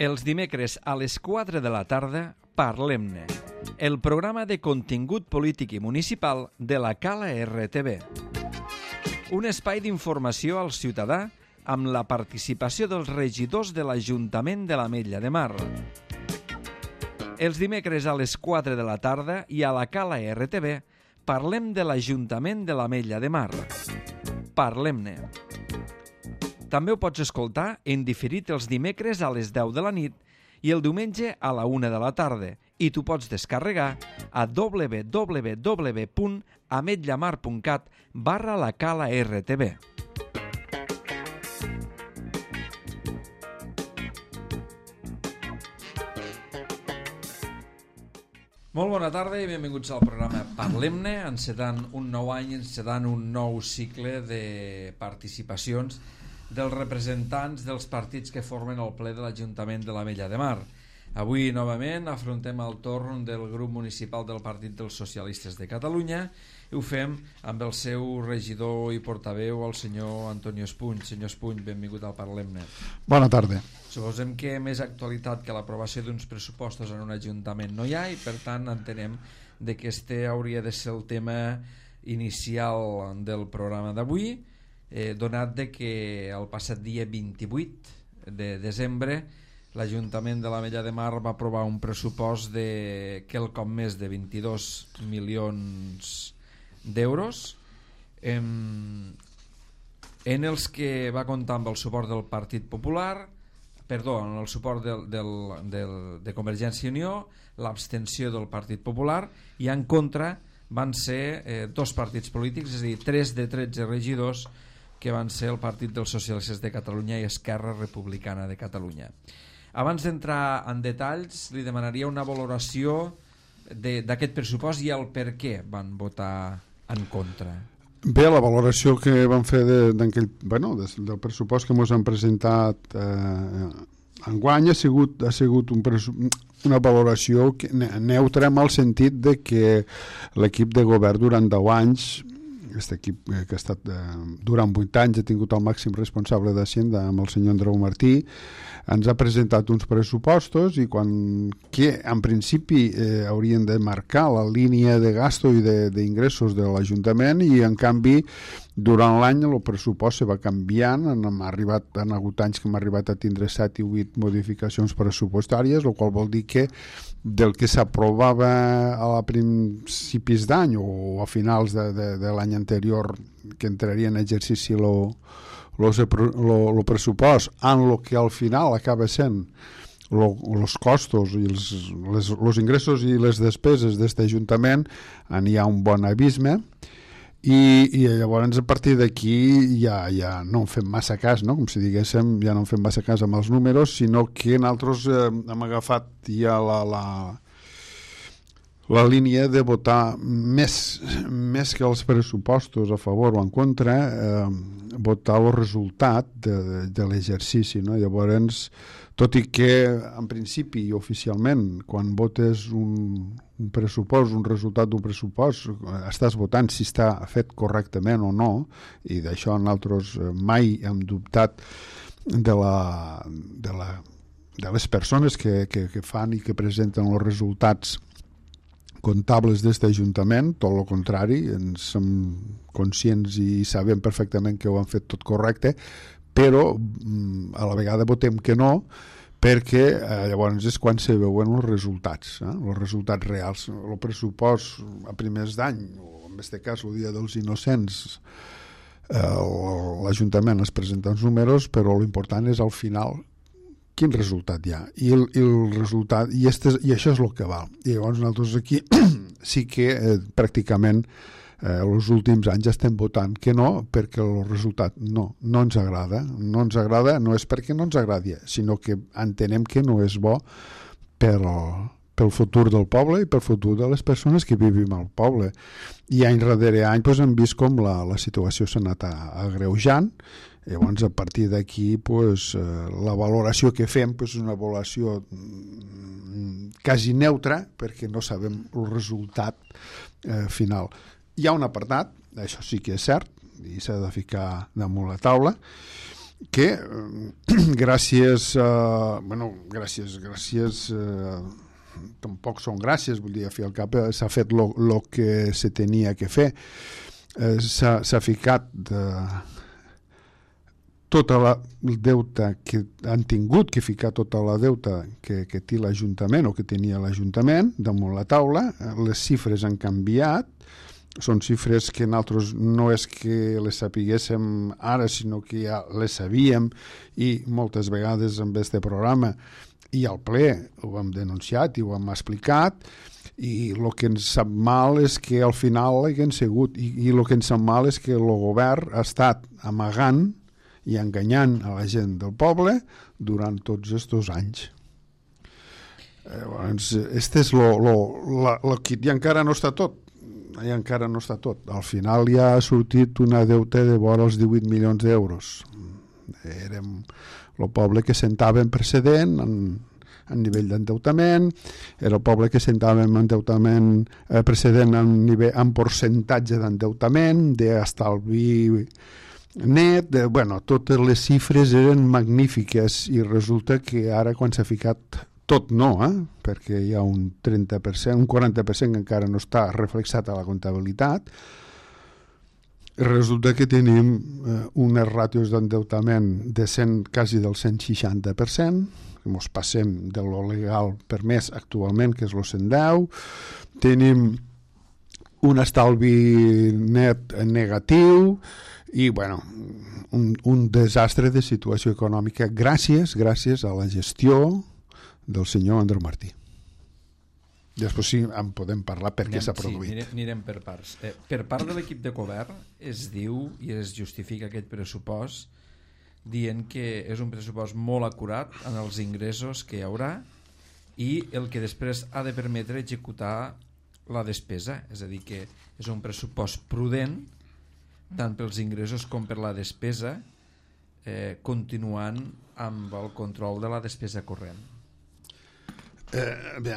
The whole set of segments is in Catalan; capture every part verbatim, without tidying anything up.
Els dimecres a les quatre de la tarda, Parlem-ne, el programa de contingut polític i municipal de la Cala R T V. Un espai d'informació al ciutadà amb la participació dels regidors de l'Ajuntament de l'Ametlla de Mar. Els dimecres a les quatre de la tarda i a la Cala R T V parlem de l'Ajuntament de l'Ametlla de Mar. Parlem-ne. També ho pots escoltar en diferit els dimecres a les deu de la nit i el diumenge a la una de la tarda i t'ho pots descarregar a w w w punt ametllamar punt cat barra la Cala R T V. Molt bona tarda i benvinguts al programa Parlem-ne, encetant un nou any, encetant un nou cicle de participacions dels representants dels partits que formen el ple de l'Ajuntament de l'Ametlla de Mar. Avui, novament, afrontem el torn del grup municipal del Partit dels Socialistes de Catalunya i ho fem amb el seu regidor i portaveu, el senyor Antonio Espuny. Senyor Espuny, benvingut al Parlem-ne. Bona tarda. Suposem que més actualitat que l'aprovació d'uns pressupostos en un ajuntament no hi ha i, per tant, entenem de que este hauria de ser el tema inicial del programa d'avui, eh, donat de que el passat dia vint-i-vuit de desembre l'Ajuntament de l'Ametlla de Mar va aprovar un pressupost de quelcom més de vint-i-dos milions d'euros en, en els que va comptar amb el suport del Partit Popular, perdó, amb el suport del, del, del, de Convergència i Unió, l'abstenció del Partit Popular, i en contra van ser eh, dos partits polítics, és a dir, tres de tretze regidors que van ser el Partit dels Socialistes de Catalunya i Esquerra Republicana de Catalunya. Abans d'entrar en detalls, li demanaria una valoració d'aquest pressupost i el per què van votar en contra. Bé, la valoració que vam fer de, d'aquell, bueno, del pressupost que ens han presentat eh, enguany ha sigut, ha sigut un una valoració neutra en el sentit de que l'equip de govern durant deu anys, aquest equip que ha estat eh, durant vuit anys ha tingut el màxim responsable d'Hacienda amb el senyor Andreu Martí, ens ha presentat uns pressupostos i quan que en principi eh, haurien de marcar la línia de gasto i d'ingressos de, de l'Ajuntament, i en canvi durant l'any el pressupost se va canviant. Hem arribat, han hagut anys que hem arribat a tindre set i vuit modificacions pressupostàries, el qual vol dir que del que s'aprovava a principis d'any o a finals de, de, de l'any anterior, que entraria en exercici lo el pressupost, en el que al final acaba sent els costos i els, les, els ingressos i les despeses d'aquest Ajuntament, n'hi ha un bon abisme, i, i llavors a partir d'aquí ja, ja no en fem massa cas, no? Com si diguéssim, ja no en fem massa cas amb els números, sinó que nosaltres eh, hem agafat ja la, la la línia de votar més, més que els pressupostos a favor o en contra, eh, votar el resultat de, de, de l'exercici, no? Llavors, tot i que en principi i oficialment quan votes un, un pressupost, un resultat d'un pressupost, estàs votant si està fet correctament o no, i d'això nosaltres mai hem dubtat de la, de la, de les persones que, que, que fan i que presenten els resultats comptables d'aquest Ajuntament. Tot el contrari, ens som conscients i sabem perfectament que ho han fet tot correcte, però a la vegada votem que no, perquè eh, llavors és quan se veuen els resultats, eh? els resultats reals. El pressupost a primers d'any, o en aquest cas el dia dels innocents, eh, l'Ajuntament es presenta els números, però l'important és al final quin resultat hi ha, i el, i el resultat i, este, i això és el que val. I llavors nosaltres aquí sí que eh, pràcticament eh, els últims anys estem votant que no, perquè el resultat no, no ens agrada no ens agrada, no és perquè no ens agradi, sinó que entenem que no és bo per, pel futur del poble i pel futur de les persones que vivim al poble. I any darrere any doncs, hem vist com la, la situació s'ha anat agreujant. Llavors, a partir d'aquí, pues, la valoració que fem pues, és una valoració quasi neutra, perquè no sabem el resultat eh, final. Hi ha un apartat, això sí que és cert, i s'ha de ficar damunt la taula, que gràcies a, bueno, gràcies gràcies eh, tampoc són gràcies, vull dir, a fi al cap s'ha fet el que se tenia que fer, eh, s'ha ficat de tota la deuta que han tingut que ficar tota la deuta que, que té l'Ajuntament o que tenia l'Ajuntament damunt la taula. Les xifres han canviat, són xifres que nosaltres no és que les sapiguéssim ara, sinó que ja les sabíem, i moltes vegades amb este programa i al ple ho hem denunciat i ho hem explicat, i el que ens sap mal és que al final haguem sigut, i, i el que ens sap mal és que el govern ha estat amagant i enganyant a la gent del poble durant tots aquests anys. Eh, doncs, este és lo, lo, la, lo que i encara no està tot, i encara no està tot. Al final ja ha sortit una deuta de vora els divuit milions d'euros. Érem el poble que sentava en precedent en, en nivell d'endeutament, era el poble que sentava en endeutament eh, precedent en, nivell, en percentatge d'endeutament, d'estalvi net, de, bueno, totes les xifres eren magnífiques, i resulta que ara quan s'ha ficat tot no, eh? Perquè hi ha un trenta per cent, un quaranta per cent que encara no està reflexat a la comptabilitat, resulta que tenim eh, unes ràtios d'endeutament de cent, quasi del cent seixanta per cent, que ens passem de lo legal permès actualment, que és el cent deu, tenim un estalvi net negatiu, i bueno, un, un desastre de situació econòmica gràcies, gràcies a la gestió del senyor Andreu Martí. Després sí en podem parlar perquè s'ha produït. Sí, anirem, anirem per parts. Eh, per part de l'equip de govern es diu i es justifica aquest pressupost dient que és un pressupost molt acurat en els ingressos que hi haurà i el que després ha de permetre executar la despesa, és a dir, que és un pressupost prudent tant pels ingressos com per la despesa, eh, continuant amb el control de la despesa corrent. Eh, bé,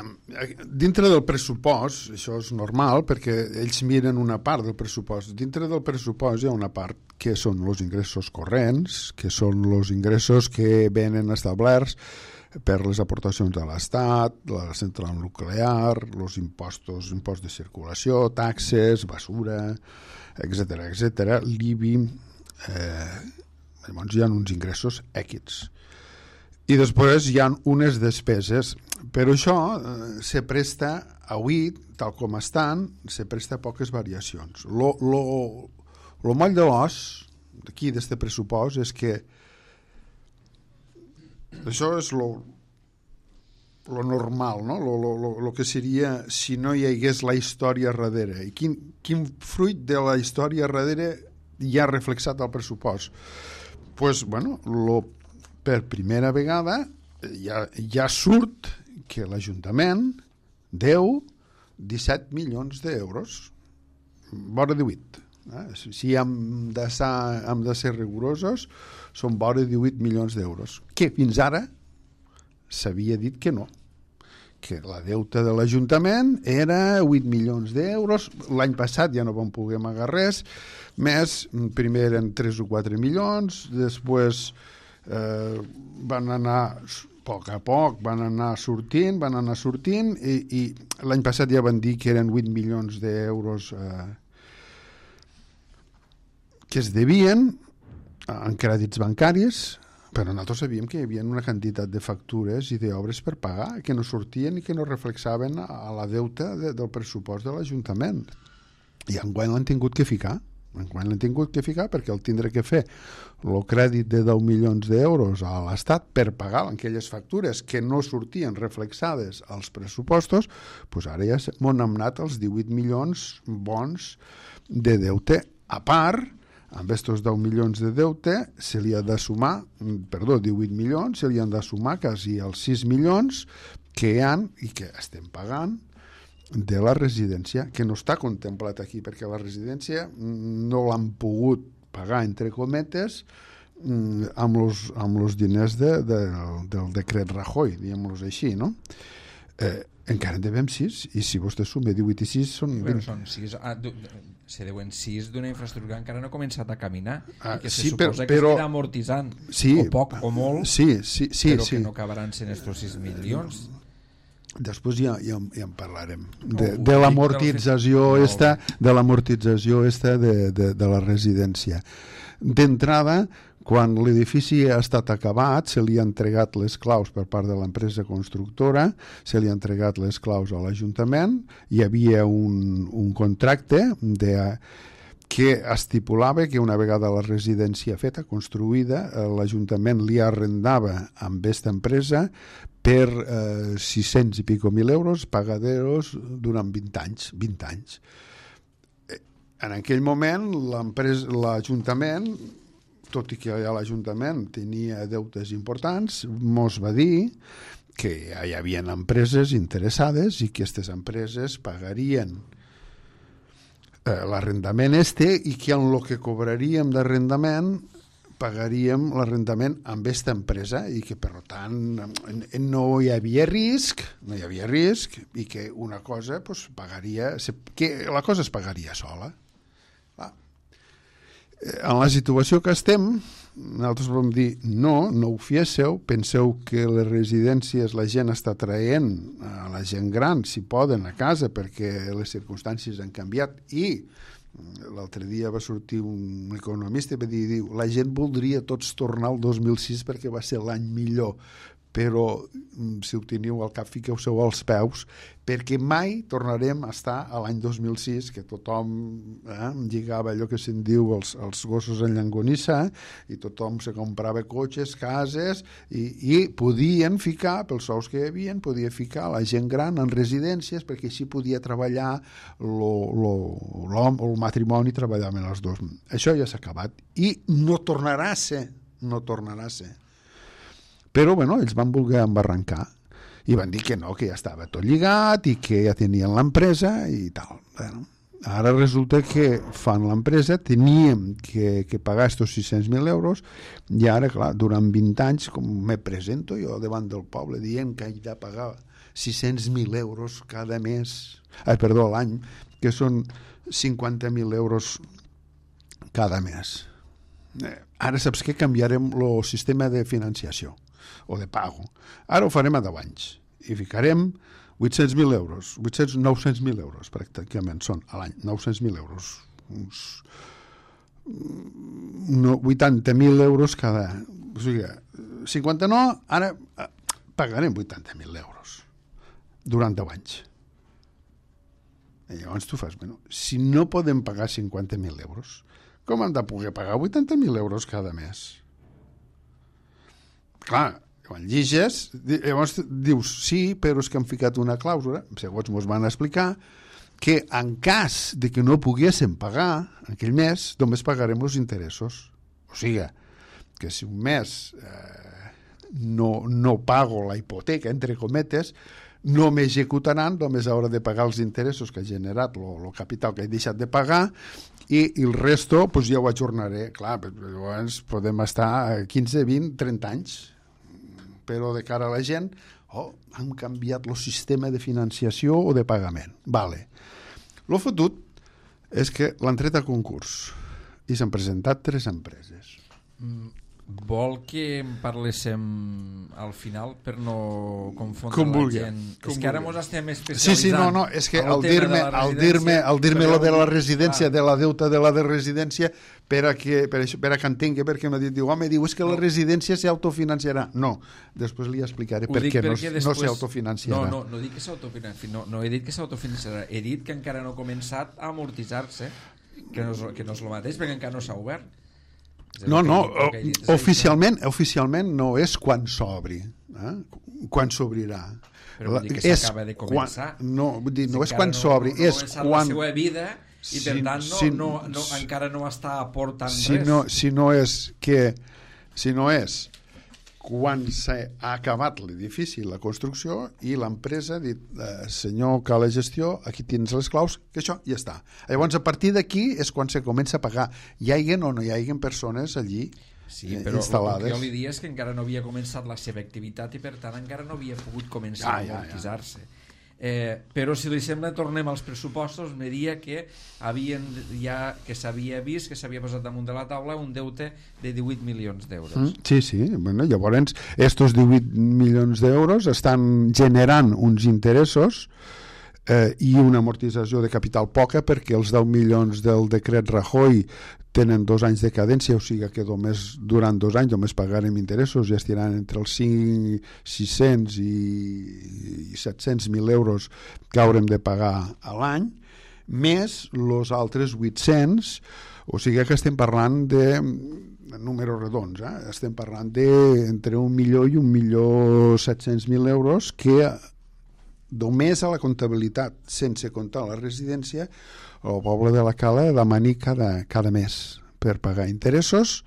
dintre del pressupost, això és normal perquè ells miren una part del pressupost. Dintre del pressupost hi ha una part que són els ingressos corrents, que són els ingressos que venen establerts per les aportacions de l'Estat, la central nuclear, els impostos, impost de circulació, taxes, basura, etcètera, etcètera, l'I B I, eh, llavors hi ha uns ingressos èquids. I després hi ha unes despeses, però això eh, se presta avui, tal com estan, se presta poques variacions. Lo, lo, lo moll de l'os d'aquí, d'este pressupost, és que això és lo, lo normal, no? Lo, lo, lo, lo que seria si no hi hagués la història darrere. I quin, quin fruit de la història darrere hi ha reflexat al pressupost? Pues, bueno, lo, per primera vegada ja, ja surt que l'Ajuntament deu disset milions d'euros, vora divuit. Eh? Si hem de, ser, hem de ser rigorosos, són vora divuit milions d'euros, que fins ara s'havia dit que no, que la deuta de l'Ajuntament era vuit milions d'euros. L'any passat ja no vam poder amagar res més, primer eren tres o quatre milions, després eh, van anar a poc a poc, van anar sortint, van anar sortint, i, i l'any passat ja van dir que eren vuit milions d'euros eh, que es devien en crèdits bancaris, però nosaltres sabíem que hi havia una quantitat de factures i d'obres per pagar que no sortien i que no reflexaven a la deuta de, del pressupost de l'Ajuntament. I enguany l'han tingut que ficar. Enguany l'han tingut que ficar perquè el tindrà que fer el crèdit de deu milions d'euros a l'Estat per pagar aquelles factures que no sortien reflexades als pressupostos, doncs ara ja m'han anat els divuit milions bons de deute. A part, amb aquests deu milions de deute se li ha de sumar, perdó, divuit milions, se li han de sumar quasi els sis milions que hi ha i que estem pagant de la residència, que no està contemplat aquí, perquè la residència no l'han pogut pagar, entre cometes, amb els amb diners de, de, del decret Rajoy, diguem-los així, no? Eh, Encara en devem sis, i si vostè suma divuit i sis són Bueno, vint. són sis, ah, du, se deuen sis d'una infraestructura que encara no ha començat a caminar Ah, i que sí, se però- suposa que però- es anirà amortitzant Sí, o poc o molt, sí, sí, sí, però sí. que no acabaran sent estos sis milions. Després ja, ja, ja en parlarem No, de, ho de dic l'amortització del fet- esta, de l'amortització esta de, de, de la residència. D'entrada, quan l'edifici ha estat acabat, se li ha entregat les claus per part de l'empresa constructora, se li ha entregat les claus a l'Ajuntament, hi havia un, un contracte de, que estipulava que una vegada la residència feta, construïda, eh, l'Ajuntament li arrendava amb aquesta empresa per eh, sis-cents i pico mil euros pagaderos durant vint anys. vint anys. Eh, En aquell moment, l'empresa- l'Ajuntament, tot i que ja l'Ajuntament tenia deutes importants, mos va dir que ja hi havia empreses interessades i que aquestes empreses pagarien eh, l'arrendament este i que en el que cobraríem d'arrendament pagaríem l'arrendament amb aquesta empresa i que per tant no hi havia risc no hi havia risc i que una cosa pues, pagaria que la cosa es pagaria sola. Clar. En la situació que estem nosaltres vam dir no, no ho fiésseu, penseu que les residències la gent està traient a la gent gran si poden a casa perquè les circumstàncies han canviat i l'altre dia va sortir un economista i va dir, diu, la gent voldria tots tornar al dos mil sis perquè va ser l'any millor, però si ho teniu al cap fiqueu-se-ho als peus perquè mai tornarem a estar a l'any dos mil sis que tothom eh, lligava allò que se'n diu els, els gossos en llangonissa i tothom se comprava cotxes, cases i, i podien ficar, pels sous que hi havia, podia ficar la gent gran en residències perquè així podia treballar l'home o el matrimoni treballaven els dos. Això ja s'ha acabat i no tornarà a ser, no tornarà a ser. Però, bueno, ells van voler embarrancar i van dir que no, que ja estava tot lligat i que ja tenien l'empresa i tal. Bueno, ara resulta que fan l'empresa, teníem que, que pagar estos sis-cents mil euros i ara, clar, durant vint anys, com me presento jo davant del poble dient que he de pagar sis-cents mil euros cada mes, ai, perdó, l'any, que són cinquanta mil euros cada mes. Eh, ara saps què? Canviarem el sistema de financiació o de pago. Ara ho farem a deu anys i ficarem vuit-cents mil euros, vuit-cents, nou-cents mil euros pràcticament són a l'any, nou-cents mil euros, uns no, vuitanta mil euros cada... O sigui, cinquanta no, ara pagarem vuitanta mil euros durant deu anys. I llavors tu fas, bueno, si no podem pagar cinquanta mil euros, com hem de poder pagar vuitanta mil euros cada mes? Clar, quan lliges, llavors dius, sí, però és que han ficat una clàusula, segons ens van explicar, que en cas de que no poguéssim pagar aquell mes, només pagarem els interessos. O sigui, que si un mes eh, no, no pago la hipoteca, entre cometes, no m'executaran, només haurà de pagar els interessos que ha generat, el capital que he deixat de pagar, i, i el resto pues, ja ho ajornaré. Clar, llavors podem estar quinze, vint, trenta anys, però de cara a la gent, oh, han canviat el sistema de financiació o de pagament. Vale. Lo fotut és que l'han tret a concurs i s'han presentat tres empreses. Vol que en parléssim al final per no confondre com la vulgui, gent? com És que ara vulgui. ens estem especialitzant. Sí, sí, no, no, és que al tema dir-me de la al dir-me al dir-me lo de la residència, clar. de la deuta de la de residència, per a que, per això, per a que entengui, perquè m'ha dit, diu, home, diu, és que la No. residència s'autofinanciarà. No, després li explicaré Ho per dic què no, perquè no després- s'autofinanciarà. No, no, no dic que s'autofinanciarà, no, no he dit que s'autofinanciarà, he dit que encara no ha començat a amortitzar-se, que no és, que no és el mateix, perquè encara no s'ha obert. És a dir, No, que no, he dit- el que he dit és oficialment, oficialment no és quan s'obri, eh? Quan s'obrirà. Però vull dir que És s'acaba de quan- començar. No, vull dir, no Si és encara quan s'obri, no, no és ha començat quan... la seva vida i Si- per tant no, si- no, no, encara no està aportant si res. no, si no és que si no és quan s'ha acabat l'edifici, la construcció, i l'empresa ha dit, eh, senyor que la gestió, aquí tens les claus, que això ja està. Llavors, a partir d'aquí és quan se comença a pagar. Hi haiguen o no hi haiguen persones allí Sí, eh, però el instal·lades. que jo li diria és que encara no havia començat la seva activitat i per tant encara no havia pogut començar Ja, a ja, ja. amortitzar-se. Eh, però si li sembla tornem als pressupostos. Me diria que havien ja que s'havia vist que s'havia posat damunt de la taula un deute de divuit milions d'euros. Mm, sí, sí, bueno, llavors estos divuit milions d'euros estan generant uns interessos eh, i una amortització de capital poca, perquè els deu milions del decret Rajoy tenen dos anys de cadència, o sigui que només, durant dos anys només pagarem interessos i estiran entre els cinc, sis-cents i, i set-cents mil euros que haurem de pagar a l'any, més els altres vuit-cents, o sigui que estem parlant de números redons, eh? Estem parlant de entre un milió i un milió set-cents mil euros que només a la comptabilitat, sense comptar la residència, el poble de la Cala demani cada, cada mes per pagar interessos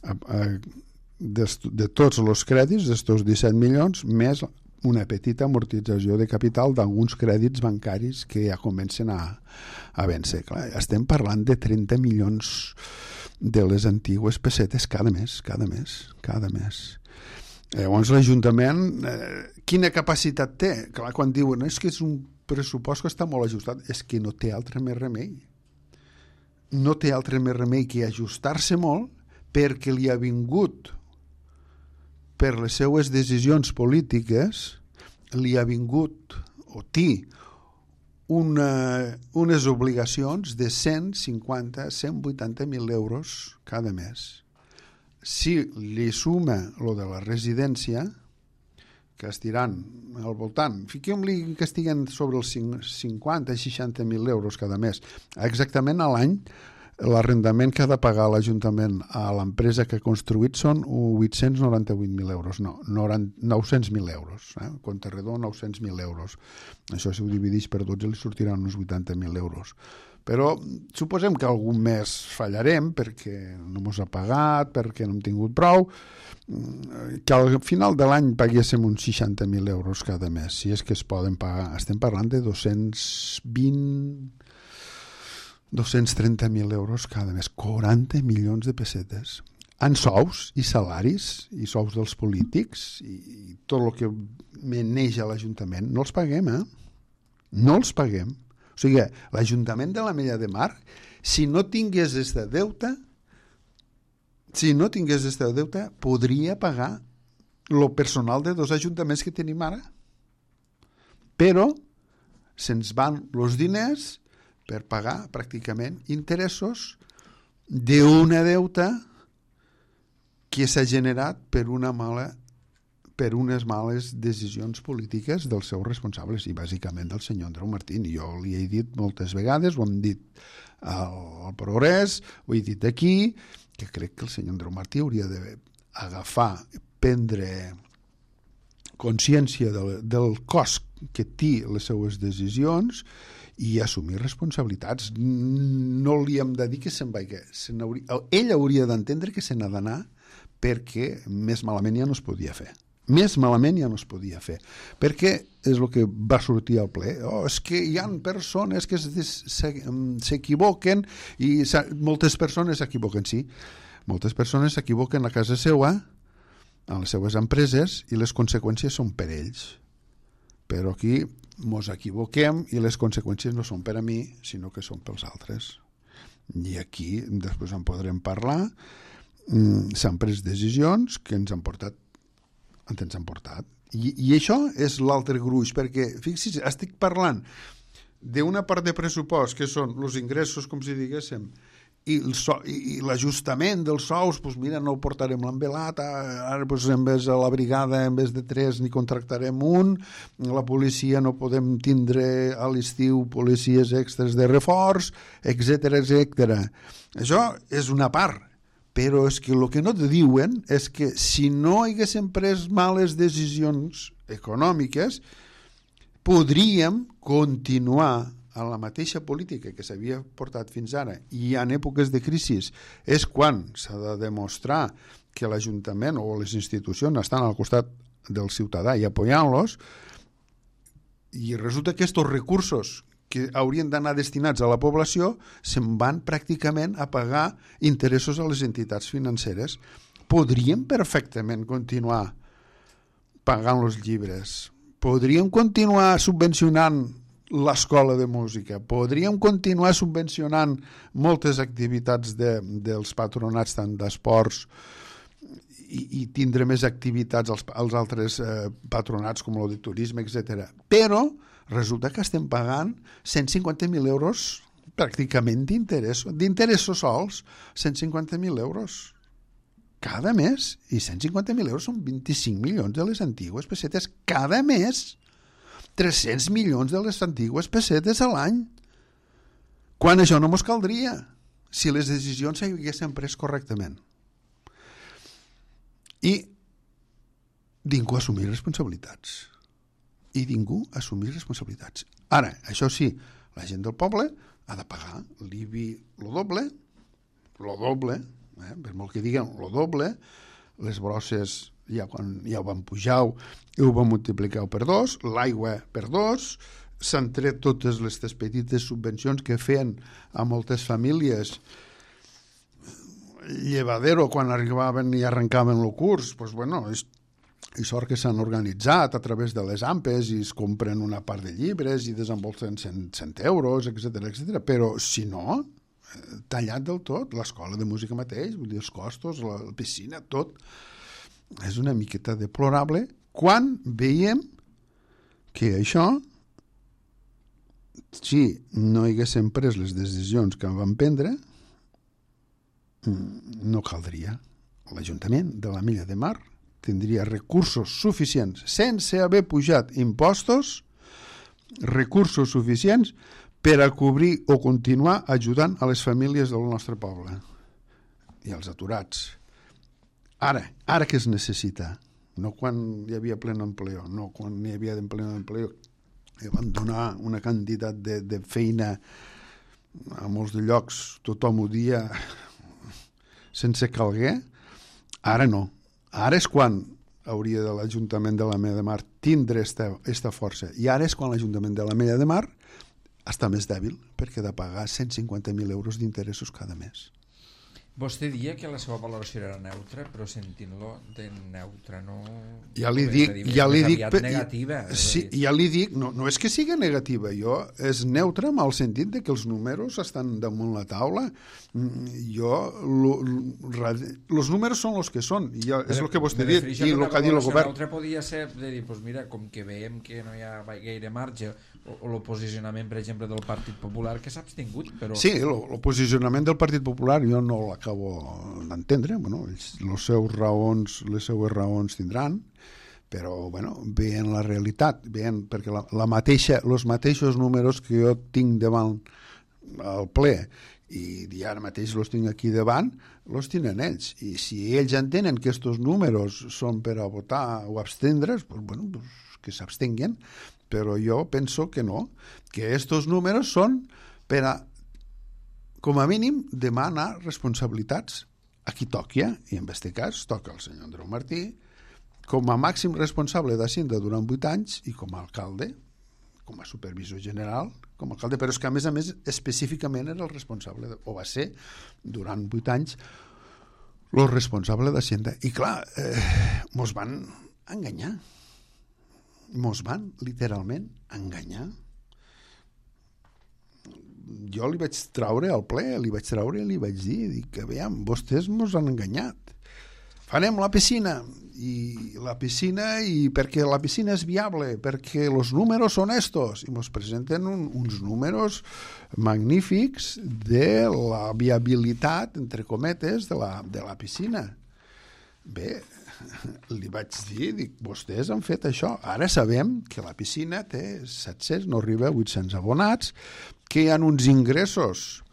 a, a, de, de tots els crèdits d'estos disset milions, més una petita amortització de capital d'alguns crèdits bancaris que ja comencen a, a vèncer. Clar, estem parlant de trenta milions de les antigues pessetes cada mes, cada mes, cada mes. Llavors l'Ajuntament, eh, quina capacitat té? Clar, quan diuen és que és un pressupost que està molt ajustat, és que no té altre més remei. No té altre més remei que ajustar-se molt, perquè li ha vingut, per les seues decisions polítiques, li ha vingut o té una, unes obligacions de cent cinquanta a cent vuitanta mil euros cada mes. Si li suma lo de la residència, que estiran al voltant, fiquem-li que estiguen sobre els cinquanta a seixanta mil euros cada mes. Exactament a l'any, l'arrendament que ha de pagar l'Ajuntament a l'empresa que ha construït són vuit-cents noranta-vuit mil euros, no, nou-cents mil euros, eh? Compte redó, nou-cents mil euros. Això si ho divideix per dotze li sortiran uns vuitanta mil euros. Però suposem que algun mes fallarem perquè no mos ha pagat, perquè no hem tingut prou, que al final de l'any paguéssim uns seixanta mil euros cada mes, si és que es poden pagar. Estem parlant de dos-cents vint, dos-cents trenta mil euros cada mes, quaranta milions de pessetes. En sous i salaris, i sous dels polítics, i tot el que meneix a l'Ajuntament, no els paguem, eh? No els paguem. O sigui, l'Ajuntament de l'Ametlla de Mar, si no tingués este deute, si no tingués este deute, podria pagar el personal de dos ajuntaments que tenim ara. Però se'ns van els diners per pagar pràcticament interessos d'una deuta que s'ha generat per una mala per unes males decisions polítiques dels seus responsables i bàsicament del senyor Andreu Martín. Jo li he dit moltes vegades, ho hem dit al Progrés, ho he dit aquí, que crec que el senyor Andreu Martí hauria d'agafar, prendre consciència del, del cost que té les seues decisions i assumir responsabilitats. No li hem de dir que se'n vagi. Se ell hauria d'entendre que se n'ha d'anar perquè més malament ja no es podia fer. Més malament ja no es podia fer. Perquè és el que va sortir al ple. Oh, és que hi ha persones que s'equivoquen i moltes persones s'equivoquen, sí. Moltes persones s'equivoquen a casa seva, a les seues empreses, i les conseqüències són per ells. Però aquí mos equivoquem i les conseqüències no són per a mi, sinó que són pels altres. I aquí després en podrem parlar. S'han pres decisions que ens han portat ens han portat. I, i això és l'altre gruix, perquè, fixi's, estic parlant d'una part de pressupost que són els ingressos, com si diguéssim, i, el so, i, i l'ajustament dels sous, doncs mira, no portarem l'envelat, ara doncs, en vez de la brigada, en vez de tres, n'hi contractarem un, la policia no podem tindre a l'estiu policies extres de reforç, etcètera, etcètera. Això és una part. Però és que el que no te diuen és que si no haguéssim pres males decisions econòmiques, podríem continuar a la mateixa política que s'havia portat fins ara, i en èpoques de crisi és quan s'ha de demostrar que l'Ajuntament o les institucions estan al costat del ciutadà i apoyant-los, i resulta que aquests recursos que haurien d'anar destinats a la població se'n van pràcticament a pagar interessos a les entitats financeres. Podríem perfectament continuar pagant els llibres, podríem continuar subvencionant l'escola de música, podríem continuar subvencionant moltes activitats de, dels patronats, tant d'esports, i, i tindre més activitats als, als altres eh, patronats com el de turisme, etcètera. Però resulta que estem pagant cent cinquanta mil euros pràcticament d'interessos, d'interessos sols, cent cinquanta mil euros cada mes, i cent cinquanta mil euros són vint-i-cinc milions de les antigues pessetes cada mes, tres-cents milions de les antigues pessetes a l'any, quan això no mos caldria si les decisions s'haguessin pres correctament. I ningú assumir responsabilitats. I ningú assumir responsabilitats. Ara, això sí, la gent del poble ha de pagar l'I B I lo doble, lo doble, eh, per molt que diguen lo doble, les brosses ja, quan, ja ho van pujar i ho van multiplicar per dos, l'aigua per dos, s'han tret totes les petites subvencions que feien a moltes famílies llevadero quan arribaven i arrencaven el curs, doncs bueno, és, i sort que s'han organitzat a través de les AMPes i es compren una part de llibres i desembolsen cent, cent euros, etcètera, etcètera. Però si no, tallat del tot, l'escola de música mateix, vull dir, els costos, la, la piscina, tot, és una miqueta deplorable quan veiem que això, si no haguéssim pres les decisions que van prendre, no caldria. L'Ajuntament de la Mella de Mar tindria recursos suficients, sense haver pujat impostos, recursos suficients per a cobrir o continuar ajudant a les famílies del nostre poble i als aturats. Ara, ara que es necessita, no quan hi havia pleno empleo, no quan hi havia pleno empleo, i van donar una quantitat de, de feina a molts de llocs, tothom ho dia sense calguer, ara no. Ara és quan hauria de l'Ajuntament de la Mella de Mar tindre aquesta força, i ara és quan l'Ajuntament de la Mella de Mar està més dèbil perquè ha de pagar cent cinquanta mil euros d'interessos cada mes. Vostè dia que la seva valoració era neutra, però sentint-lo de neutra no... Ja li dic... Ja li dic negativa. Sí, ja li dic, no, no és que sigui negativa, jo és neutra en el sentit de que els números estan damunt la taula. Jo... Els números són els que són, i jo, és el que vostè ha dit, i el que ha dit el govern. Neutra podia ser de dir, doncs mira, com que veiem que no hi ha gaire marge, o, o el posicionament, per exemple, del Partit Popular, que s'ha abstingut, però... Sí, el, el posicionament del Partit Popular jo no l'acabo d'entendre, bueno, els, els seus raons, les seues raons tindran, però bueno, veient la realitat, veient, perquè la, la mateixa, els mateixos números que jo tinc davant al ple i, i ara mateix els tinc aquí davant, els tenen ells, i si ells entenen que aquests números són per a votar o abstendre's, pues, bueno, pues, que s'abstenguen, però jo penso que no, que aquests números són per a, com a mínim, demanar responsabilitats a qui toqui, i en aquest cas toca el senyor Andreu Martí, com a màxim responsable d'Hacienda durant vuit anys i com a alcalde, com a supervisor general, com a alcalde, però és que a més a més específicament era el responsable, o va ser durant vuit anys el responsable d'Hacienda. I clar, eh, mos van enganyar. Mos van literalment enganyar. Jo li vaig traure al ple, li vaig traure i li vaig dir, dic que veiem, vostès mos han enganyat. Farem la piscina, i la piscina, i perquè la piscina és viable, perquè els números són estos, i mos presenten un, uns números magnífics de la viabilitat, entre cometes, de la, de la piscina. Bé, li vaig dir, dic, vostès han fet això. Ara sabem que la piscina té set-cents, no arriba a vuit-cents abonats, que hi ha uns ingressos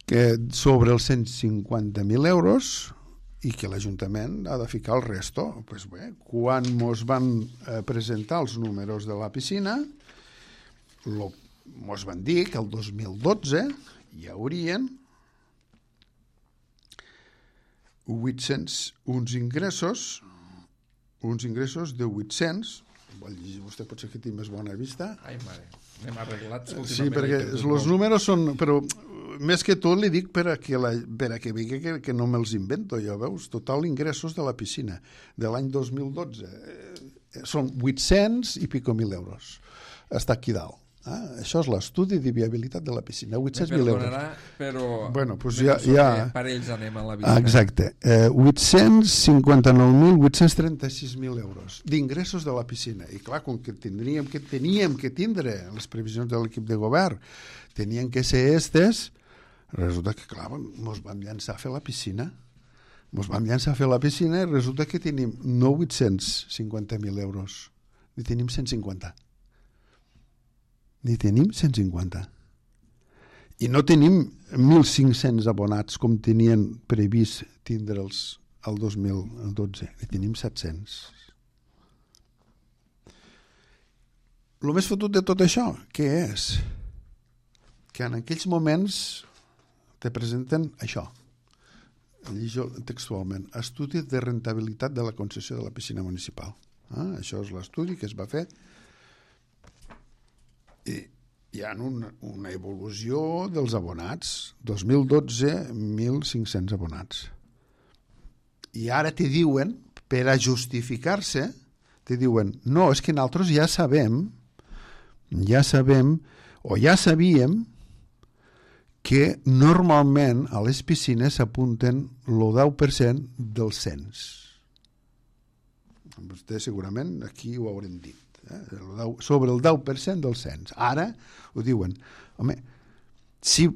que sobre els cent cinquanta mil euros i que l'Ajuntament ha de ficar el resto. Pues bé, quan mos van eh, presentar els números de la piscina, lo, mos van dir que el dos mil dotze hi haurien vuit-cents, uns ingressos, uns ingressos de vuit-cents, vostè pot ser que tingui més bona vista. Ai, mare, anem arreglats. Sí, perquè els números són... Però més que tot li dic per a que, la, per a que vegi que, que no me'ls invento, ja veus, total ingressos de la piscina de l'any dos mil dotze. són vuit-cents i pico mil euros. Està aquí dalt. Ah, això és l'estudi de viabilitat de la piscina, vuit-cents mil euros. Però bueno, doncs ja, ja... parells anem a la vista. Exacte. Eh, vuit-cents cinquanta-nou mil vuit-cents trenta-sis mil euros d'ingressos de la piscina. I clar, com que tindríem que teníem que tindre les previsions de l'equip de govern, tenien que ser estes, resulta que, clar, ens vam llançar a fer la piscina. Ens vam llançar a fer la piscina i resulta que tenim no vuit-cents cinquanta mil euros, ni tenim cent cinquanta. Ni tenim cent cinquanta. I no tenim mil cinc-cents abonats com tenien previst tindre'ls el dos mil dotze. Ni tenim set-cents. El més fotut de tot això, què és? Que en aquells moments te presenten això. Llegeixo textualment. Estudi de rentabilitat de la concessió de la piscina municipal. Ah, això és l'estudi que es va fer. I hi ha una, una evolució dels abonats. dos mil dotze, mil cinc-cents abonats. I ara te diuen, per a justificar-se, te diuen, no, és que nosaltres ja sabem, ja sabem, o ja sabíem, que normalment a les piscines s'apunten el deu per cent del cens. Vostè segurament aquí ho haurem dit. Sobre el deu per cent del cens. Ara ho diuen, home, sí,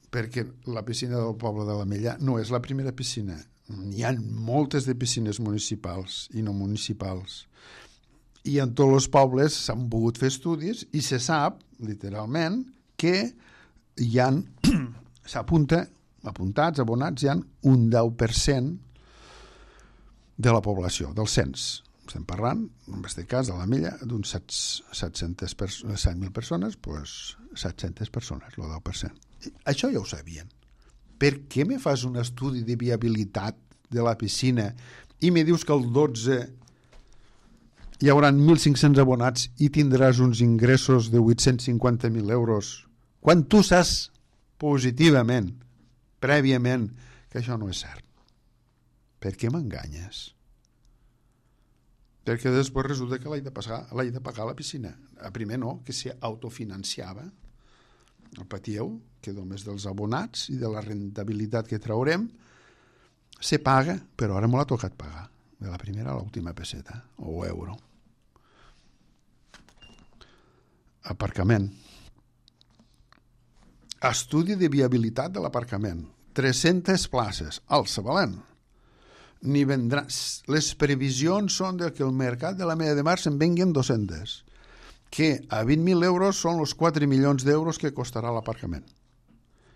perquè la piscina del poble de l'Ametlla no és la primera piscina. Hi ha moltes de piscines municipals i no municipals. I en tots els pobles s'han pogut fer estudis i se sap, literalment, que hi ha, s'apunta, apuntats, abonats, hi ha un deu per cent de la població, del cens. Estem parlant, en aquest cas, de l'Ametlla, d'uns set mil persones, doncs set-centes persones, el deu per cent. Això ja ho sabien. Per què me fas un estudi de viabilitat de la piscina i me dius que el dotze hi haurà mil cinc-cents abonats i tindràs uns ingressos de vuit-cents cinquanta mil euros, quan tu saps positivament, prèviament, que això no és cert? Per què m'enganyes? Perquè després resulta que l'haig de, pagar, l'haig de pagar a la piscina. A primer no, que s'autofinanciava. El patiu, que només dels abonats i de la rentabilitat que traurem, se paga, però ara m'ho ha tocat pagar. De la primera a l'última peseta, o euro. Aparcament. Estudi de viabilitat de l'aparcament. tres-centes places, al Sabalent. Ni vendrà. Les previsions són de que el mercat de la Media de Mar se'n venguen dos-centes, que a vint mil euros són els quatre milions d'euros que costarà l'aparcament.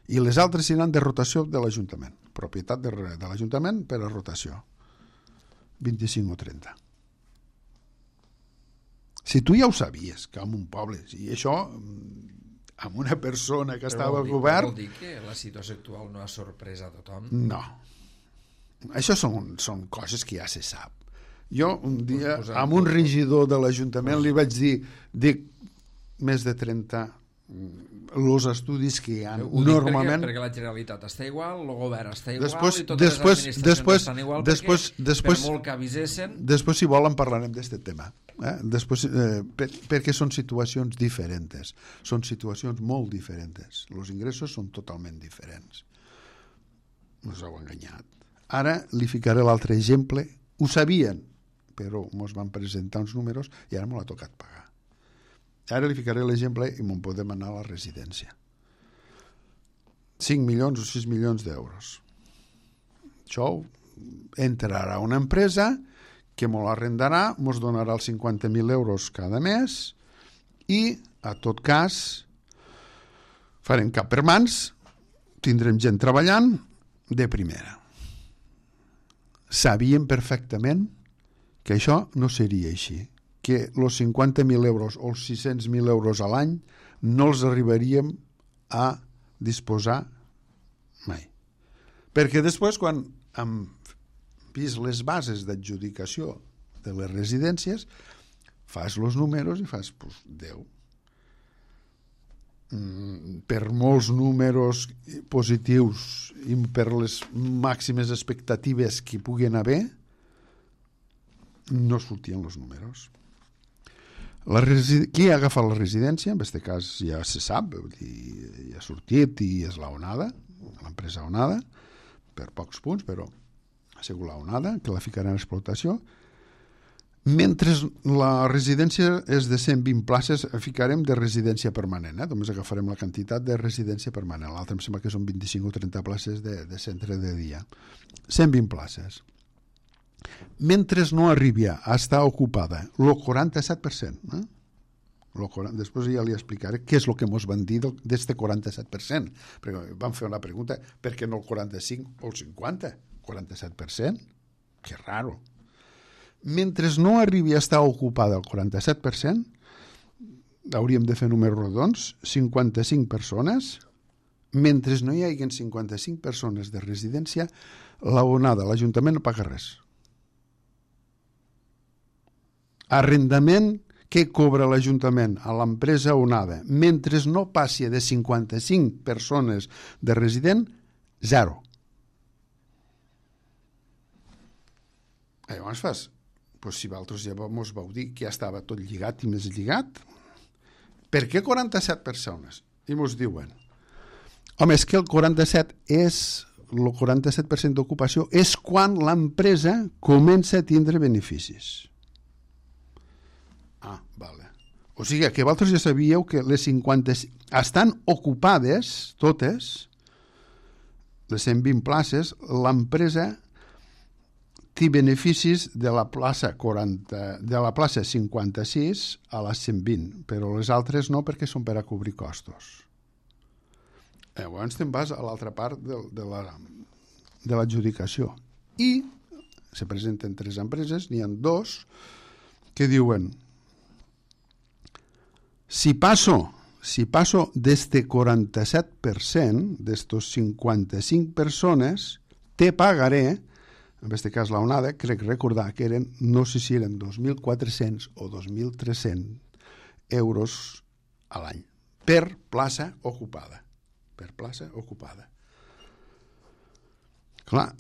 I les altres seran de rotació de l'Ajuntament, propietat de, de l'Ajuntament per a rotació, vint-i-cinc o trenta. Si tu ja ho sabies, que en un poble, i això amb una persona que estava al govern... Vol dir que la situació actual no ha sorprès a tothom? No. Això són, són coses que ja se sap. Jo un dia pues amb un regidor de l'Ajuntament pues... li vaig dir, dic, més de trenta els estudis que hi ha normalment... Perquè, perquè la Generalitat està igual, el govern està igual després, i totes després, les administracions després, estan igual després, perquè després, per molt que avisessin... Després, si volen, parlarem d'aquest tema. Eh? Després, eh, per, perquè són situacions diferents. Són situacions molt diferents. Els ingressos són totalment diferents. Ens heu enganyat. Ara li ficaré l'altre exemple. Ho sabien, però ens van presentar uns números i ara m'ho ha tocat pagar. Ara li ficaré l'exemple i me'n podem anar a la residència. cinc milions o sis milions d'euros. Això entrarà una empresa que m'ho arrendarà, mos donarà els cinquanta mil euros cada mes i, a tot cas, farem cap per mans, tindrem gent treballant de primera. Sabíem perfectament que això no seria així, que els cinquanta mil euros o els sis-cents mil euros a l'any no els arribaríem a disposar mai. Perquè després, quan hem vist les bases d'adjudicació de les residències, fas els números i fas, pues, deu. Mm, per molts números positius i per les màximes expectatives que hi puguin haver, no sortien els números. La resi... Qui ha agafat la residència? En aquest cas ja se sap, vull dir, ja ha sortit i és la Onada, l'empresa Onada, per pocs punts, però ha sigut la Onada, que la ficarà en explotació. Mentre la residència és de cent vint places, ficarem de residència permanent, eh? Només agafarem la quantitat de residència permanent. L'altre em sembla que són vint-i-cinc o trenta places de, de centre de dia. cent vint places. Mentre no arribi a estar ocupada el quaranta-set per cent, eh? quaranta, després ja li explicaré què és el que ens van dir d'aquest quaranta-set per cent, perquè vam fer una pregunta, per què no el quaranta-cinc o el cinquanta? quaranta-set per cent? Que raro. Mentre no arribi a estar ocupada el quaranta-set per cent, hauríem de fer números rodons, cinquanta-cinc persones, mentre no hi hagi cinquanta-cinc persones de residència, la Onada, l'Ajuntament no paga res. Arrendament que cobra l'Ajuntament a l'empresa Onada, mentre no passi de cinquanta-cinc persones de resident, zero. I llavors fas, doncs si vosaltres ja ens vau dir que ja estava tot lligat i més lligat, per què quaranta-set persones? I ens diuen, home, és que el quaranta-set és, el quaranta-set per cent d'ocupació és quan l'empresa comença a tindre beneficis. Ah, vale. O sigui que vosaltres ja sabíeu que les cinquanta estan ocupades totes, les cent vint places, l'empresa té beneficis de la plaça quaranta, de la plaça cinquanta-sis a les cent vint, però les altres no, perquè són per a cobrir costos. Llavors te'n vas a l'altra part de, de la de l'adjudicació. I se presenten tres empreses, n'hi ha dos que diuen, si passo, si passo d'este quaranta-set per cent, d'estos cinquanta-cinc persones, te pagaré, en aquest cas la Onada, crec recordar que eren, no sé si eren dos mil quatre-cents o dos mil tres-cents euros a l'any, per plaça ocupada. Per plaça ocupada. Clar,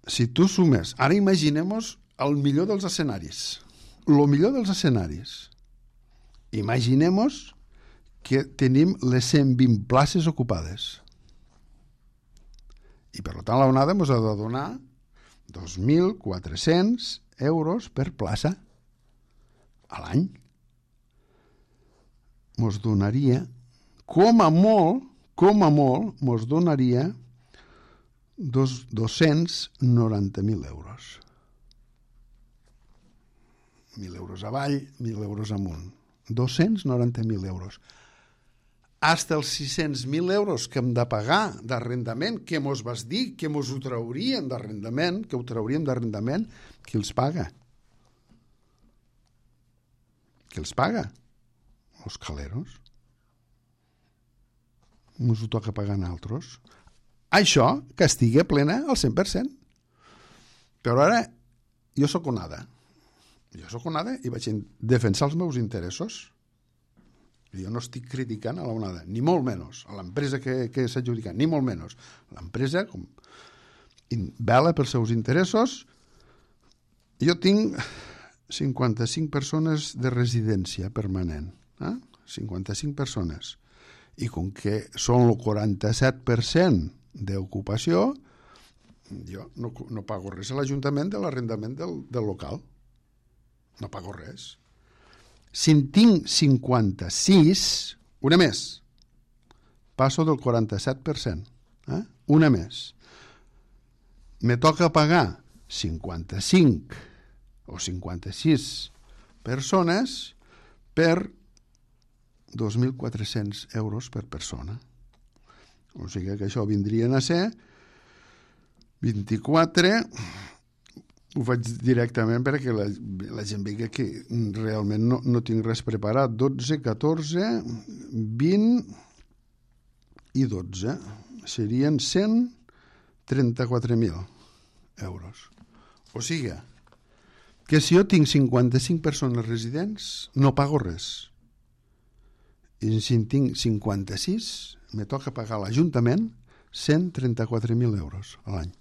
si tu sumes, ara imaginem-nos el millor dels escenaris, el millor dels escenaris, imaginem-nos que tenim les cent vint places ocupades. I per tant la Onada ens ha de donar dos mil quatre-cents euros per plaça a l'any. Ens donaria, com a molt, com a molt, ens donaria dos, dos-cents noranta mil euros. Mil euros avall, mil euros amunt. dos-cents noranta mil euros. Hasta els sis-cents mil euros que hem de pagar d'arrendament, que mos vas dir que mos ho traurien d'arrendament, que ho trauríem d'arrendament, qui els paga? Qui els paga? Els caleros. Mos ho toca pagar a altres. Això que estigui plena al cent per cent. Però ara, jo sóc Onada. Jo sóc Onada i vaig defensar els meus interessos. Jo no estic criticant a la Onada, ni molt menys, a l'empresa que, que s'ha adjudicat, ni molt menys. L'empresa com, vela pels seus interessos. Jo tinc cinquanta-cinc persones de residència permanent. Eh? cinquanta-cinc persones. I com que són el quaranta-set per cent d'ocupació, jo no, no pago res a l'Ajuntament de l'arrendament del, del local. No pago res. Si en tinc cinquanta-sis, una més, passo del quaranta-set per cent. Eh? Una més. Me toca pagar cinquanta-cinc o cinquanta-sis persones per dos mil quatre-cents euros per persona. O sigui que això vindrien a ser vint-i-quatre... Ho faig directament perquè la, la gent vegi que realment no, no tinc res preparat. dotze, catorze, vint i dotze. Serien cent trenta-quatre mil euros. O sigui, que si jo tinc cinquanta-cinc persones residents, no pago res. I si en tinc cinquanta-sis, me toca pagar a l'Ajuntament cent trenta-quatre mil euros a l'any.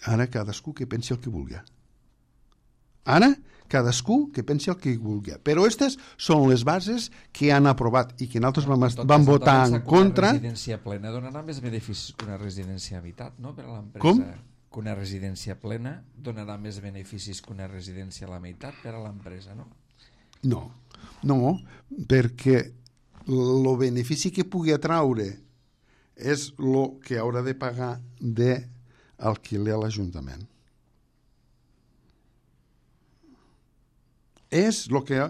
Ara cadascú que pensi el que vulgui. Ara cadascú que pensi el que vulgui. Però aquestes són les bases que han aprovat i que nosaltres vam, vam votar en contra. Una residència plena donarà més beneficis que una residència a meitat, no? Per a l'empresa. Com? Que una residència plena donarà més beneficis que una residència a la meitat per a l'empresa, no? No, no, perquè el benefici que pugui atraure és el que haurà de pagar d'alquiler a l'Ajuntament. És el que...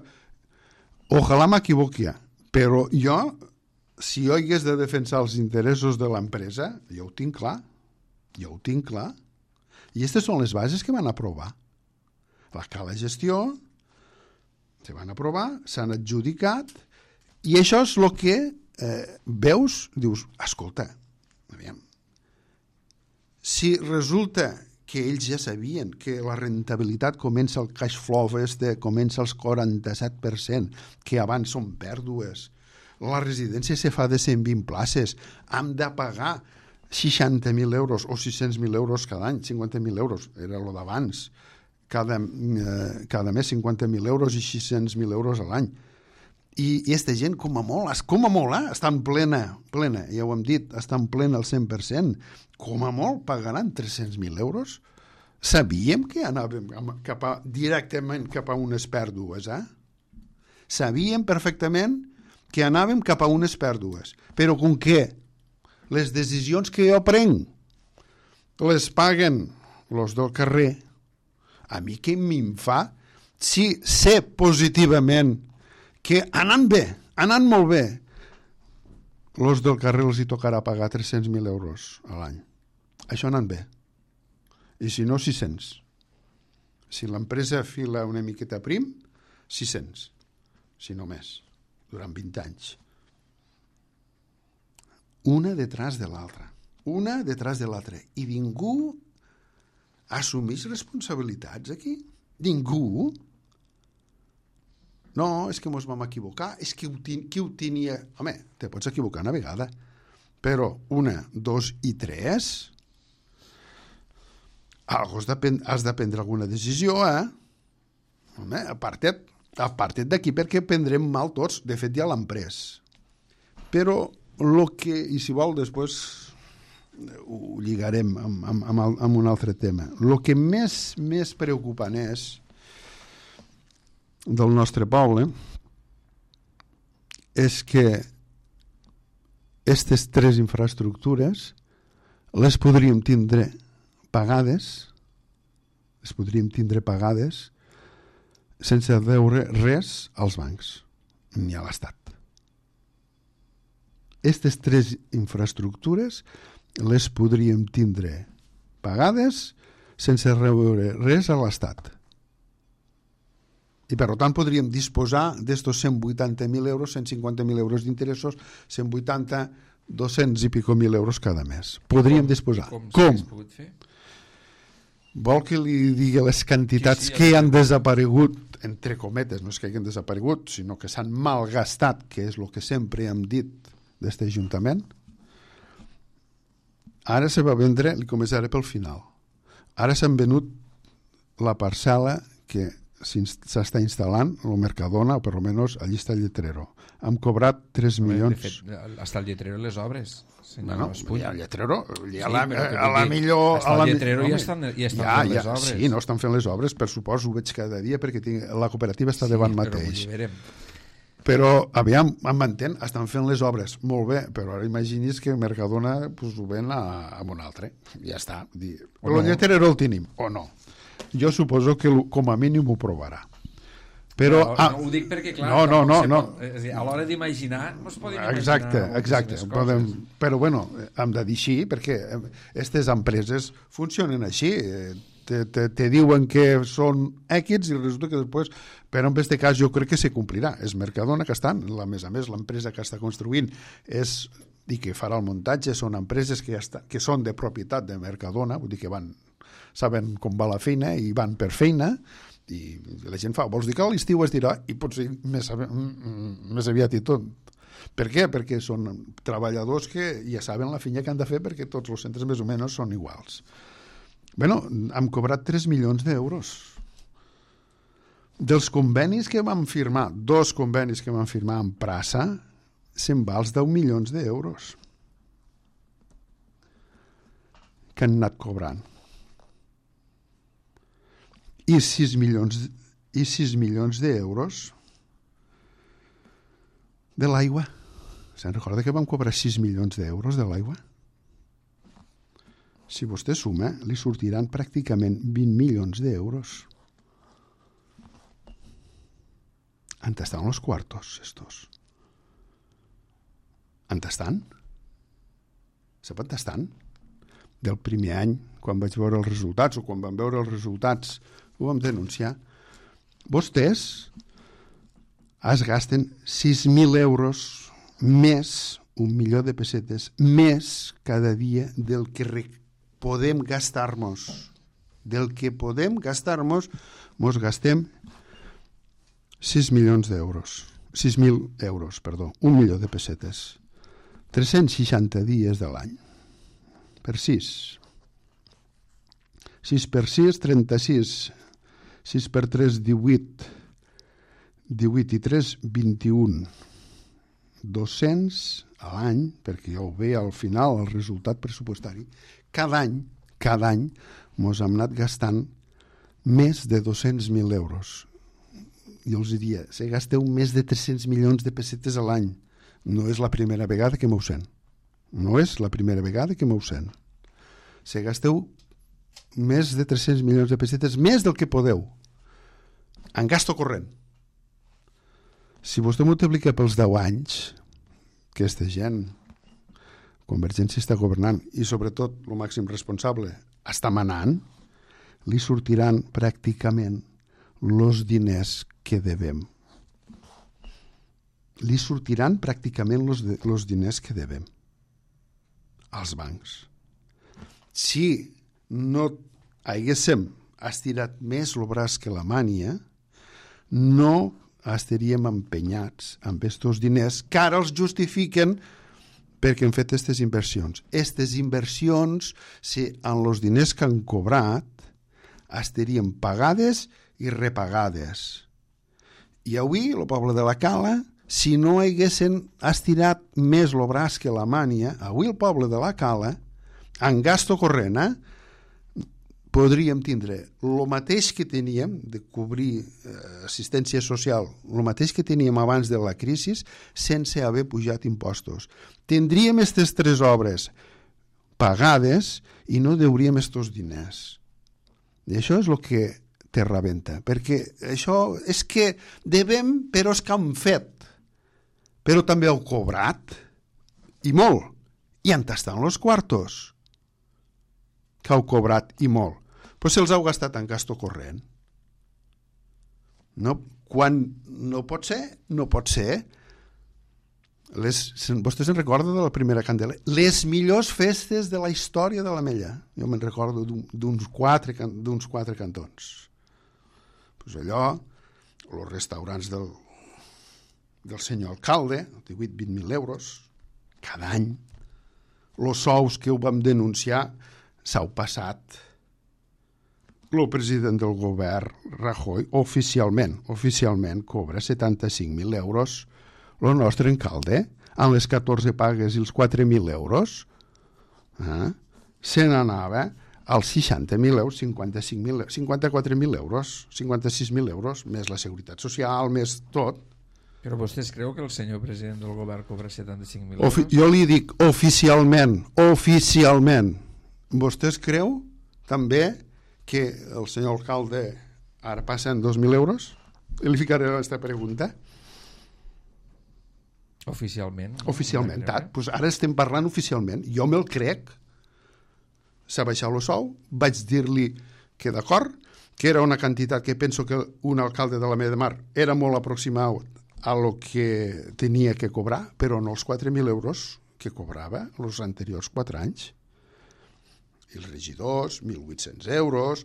Ojalà m'equivoqui, però jo, si jo hagués de defensar els interessos de l'empresa, jo ho tinc clar, jo ho tinc clar. I aquestes són les bases que van aprovar. La cala gestió, se van aprovar, s'han adjudicat, i això és el que eh, veus, dius, escolta, aviam, si resulta que ells ja sabien que la rentabilitat comença el cash flow este, comença als quaranta-set per cent, que abans són pèrdues, la residència se fa de cent vint places, hem de pagar seixanta mil euros o sis-cents mil euros cada any, cinquanta mil euros, era el d'abans, cada, eh, cada mes cinquanta mil euros i sis-cents mil euros a l'any. I aquesta gent, com a molt, com a molt, eh? Està en plena, plena, ja ho hem dit, està en plena al cent per cent, com a molt pagaran tres-cents mil euros. Sabíem que anàvem cap a, directament cap a unes pèrdues, eh? Sabíem perfectament que anàvem cap a unes pèrdues, però com que les decisions que jo prenc les paguen els del carrer, a mi què me'n fa si sé positivament que anant bé, anant molt bé, els del carrer els hi tocarà pagar tres-cents mil euros a l'any. Això anant bé. I si no, sis-cents. Si l'empresa fila una miqueta prim, sis-cents. Si no més, durant vint anys. Una detrás de l'altra. Una detrás de l'altra. I ningú assumeix responsabilitats aquí? Ningú? No, és que ens vam equivocar, és que ho ten, qui ho tenia... Home, te pots equivocar una vegada, però una, dos i tres... Algo has de, has de prendre alguna decisió, eh? Home, aparta't, aparta't d'aquí perquè prendrem mal tots. De fet, ja l'han pres. Però el que... I si vol, després ho lligarem amb, amb, amb, amb un altre tema. El que més, més preocupant és del nostre poble és que aquestes tres infraestructures les podríem tindre pagades, les podríem tindre pagades sense deure res als bancs ni a l'Estat. Aquestes tres infraestructures les podríem tindre pagades sense deure res a l'Estat. I per tant podríem disposar d'estos cent vuitanta mil euros, cent cinquanta mil euros d'interessos, cent vuitanta, dos-cents i pico mil euros cada mes. Podríem com, disposar. Com? Com? Fer? Vol que li digui les quantitats sí, sí, que han desaparegut, entre cometes, no és que hagin desaparegut, sinó que s'han malgastat, que és el que sempre hem dit d'aquest Ajuntament? Ara se va vendre, li començaré pel final, ara s'han venut la parcel·la que s'està instal·lant el Mercadona, o per almenys allí està el Lletrero. Hem cobrat tres milions... De fet, està el Lletrero i les obres. Bueno, ja el Lletrero, ja sí, la, a la millor... Està el Lletrero i ja estan, ja estan ja, fent les obres. Sí, no estan fent les obres, per suposo, ho veig cada dia, perquè tinc, la cooperativa està sí, davant mateix. Però, aviam, em m'entén, estan fent les obres molt bé, però ara imagini's que Mercadona pues, ho ven a, a un altre. Ja està. Dir, però el Lletrero el tenim, o no? Jo suposo que com a mínim ho provarà. Però, no, ah, no ho dic perquè, clar, no, no, no, no. Pot, és a, dir, a l'hora d'imaginar no es poden imaginar exacte, exacte. Podem, però bueno, hem de dir així perquè aquestes empreses funcionen així, te, te, te diuen que són èquits i resulta que després, però en aquest cas jo crec que se complirà. És Mercadona que estan, a més a més l'empresa que està construint és i que farà el muntatge, són empreses que, ja està, que són de propietat de Mercadona, vull dir que van, saben com va la feina i van per feina, i la gent fa, vols dir que a l'estiu es dirà i potser més, més aviat i tot. Per què? Perquè són treballadors que ja saben la feina que han de fer perquè tots els centres més o menys són iguals. Bueno, hem cobrat tres milions d'euros. Dels convenis que vam firmar, dos convenis que vam firmar amb Prassa, se'n va els deu milions d'euros que han anat cobrant. I sis milions, i sis milions d'euros de l'aigua. Se'n recorda que vam cobrar sis milions d'euros de l'aigua? Si vostè suma, li sortiran pràcticament vint milions d'euros. On estan els quartos, estos? On estan? Sap on estan? Del primer any, quan vaig veure els resultats, o quan vam veure els resultats, ho vam denunciar. Vostès es gasten sis mil euros més, un milió de pessetes, més cada dia del que podem gastar-nos. Del que podem gastar-nos, mos gastem sis milions d'euros. sis mil euros, perdó, un milió de pessetes. tres-cents seixanta dies de l'any. Per sis. sis per sis, trenta-sis. sis per tres, divuit. divuit i tres, vint-i-un. dos-cents a l'any, perquè ja ho ve al final, el resultat pressupostari. Cada any, cada any, mos hem anat gastant més de dos-cents mil euros. Jo els diria, se gasteu més de tres-cents milions de pessetes a l'any. No és la primera vegada que m'ho sent. No és la primera vegada que m'ho sent. Se gasteu més de tres-cents milions de pessetes, més del que podeu, en gasto corrent. Si vostè multiplica pels deu anys, aquesta gent, Convergència està governant, i sobretot el màxim responsable està manant, li sortiran pràcticament els diners que devem. Li sortiran pràcticament els diners que devem als bancs. Si no haguéssim estirat més el braç que la mània, no estaríem empenyats amb aquests diners que ara els justifiquen perquè hem fet aquestes inversions. Aquestes inversions, si amb els diners que han cobrat, estarien pagades i repagades. I avui, el poble de la Cala, si no haguessin estirat més el braç que la mània, avui el poble de la Cala, en gasto corrent, eh, podríem tindre el mateix que teníem de cobrir eh, assistència social, el mateix que teníem abans de la crisi, sense haver pujat impostos. Tindríem aquestes tres obres pagades i no deuríem aquests diners. I això és el que té rebenta, perquè això és que devem, però és que han fet, però també heu cobrat, i molt, i on estan els quartos que heu cobrat i molt. Però si els heu gastat en gasto corrent. No, quan no pot ser, no pot ser. Les, vostè se'n recorda de la primera candela? Les millors festes de la història de l'Ametlla. Jo me'n recordo d'uns quatre, d'uns quatre cantons. Pues allò, els restaurants del, del senyor alcalde, divuit a vint mil euros, cada any. Els sous que ho vam denunciar s'heu passat. El president del govern, Rajoy, oficialment, oficialment cobra setanta-cinc mil euros. El nostre alcalde, amb les catorze pagues i els quatre mil euros, eh, se n'anava als seixanta mil euros, cinquanta-cinc mil, cinquanta-quatre mil euros, cinquanta-sis mil euros, més la seguretat social, més tot. Però vostè es creu que el senyor president del govern cobra setanta-cinc mil euros? Ofi- jo li dic oficialment, oficialment. Vostè es creu també que el senyor alcalde ara passa en dos mil euros? I li ficaré aquesta pregunta. Oficialment. Oficialment, tat. Pues ara estem parlant oficialment. Jo me'l crec. S'ha baixat el sou. Vaig dir-li que d'acord, que era una quantitat que penso que un alcalde de la Meda de Mar era molt aproximat a lo que tenia que cobrar, però no els quatre mil euros que cobrava els anteriors quatre anys. I els regidors, mil vuit-cents euros,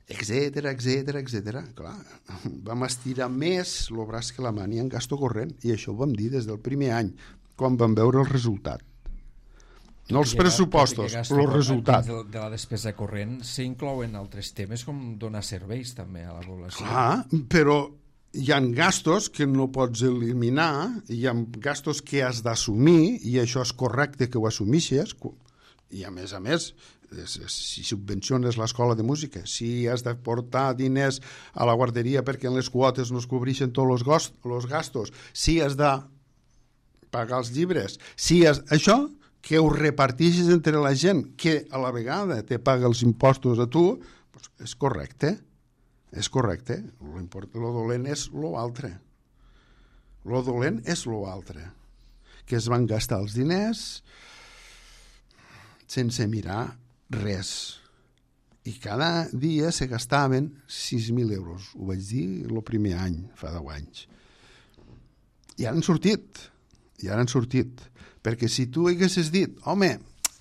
etcètera, etcètera, etcètera. Clar, vam estirar més el braç que la mània en gasto corrent, i això ho vam dir des del primer any, quan vam veure el resultat. No els pressupostos, els resultats. De, de la despesa corrent s'inclouen altres temes com donar serveis també a la població. Clar, però hi ha gastos que no pots eliminar, hi ha gastos que has d'assumir, i això és correcte que ho assumixes, i a més a més, si subvenciones l'escola de música, si has de portar diners a la guarderia perquè en les quotes no es cobreixen tots els gastos, si has de pagar els llibres, si has... això que ho reparteixes entre la gent que a la vegada te paga els impostos a tu, doncs és correcte, és correcte. Lo dolent és lo altre. Lo dolent és lo altre. Que es van gastar els diners sense mirar res. I cada dia se gastaven sis mil euros. Ho vaig dir el primer any, fa deu anys. I ara han sortit. I ara han sortit. Perquè si tu haguessis dit, home,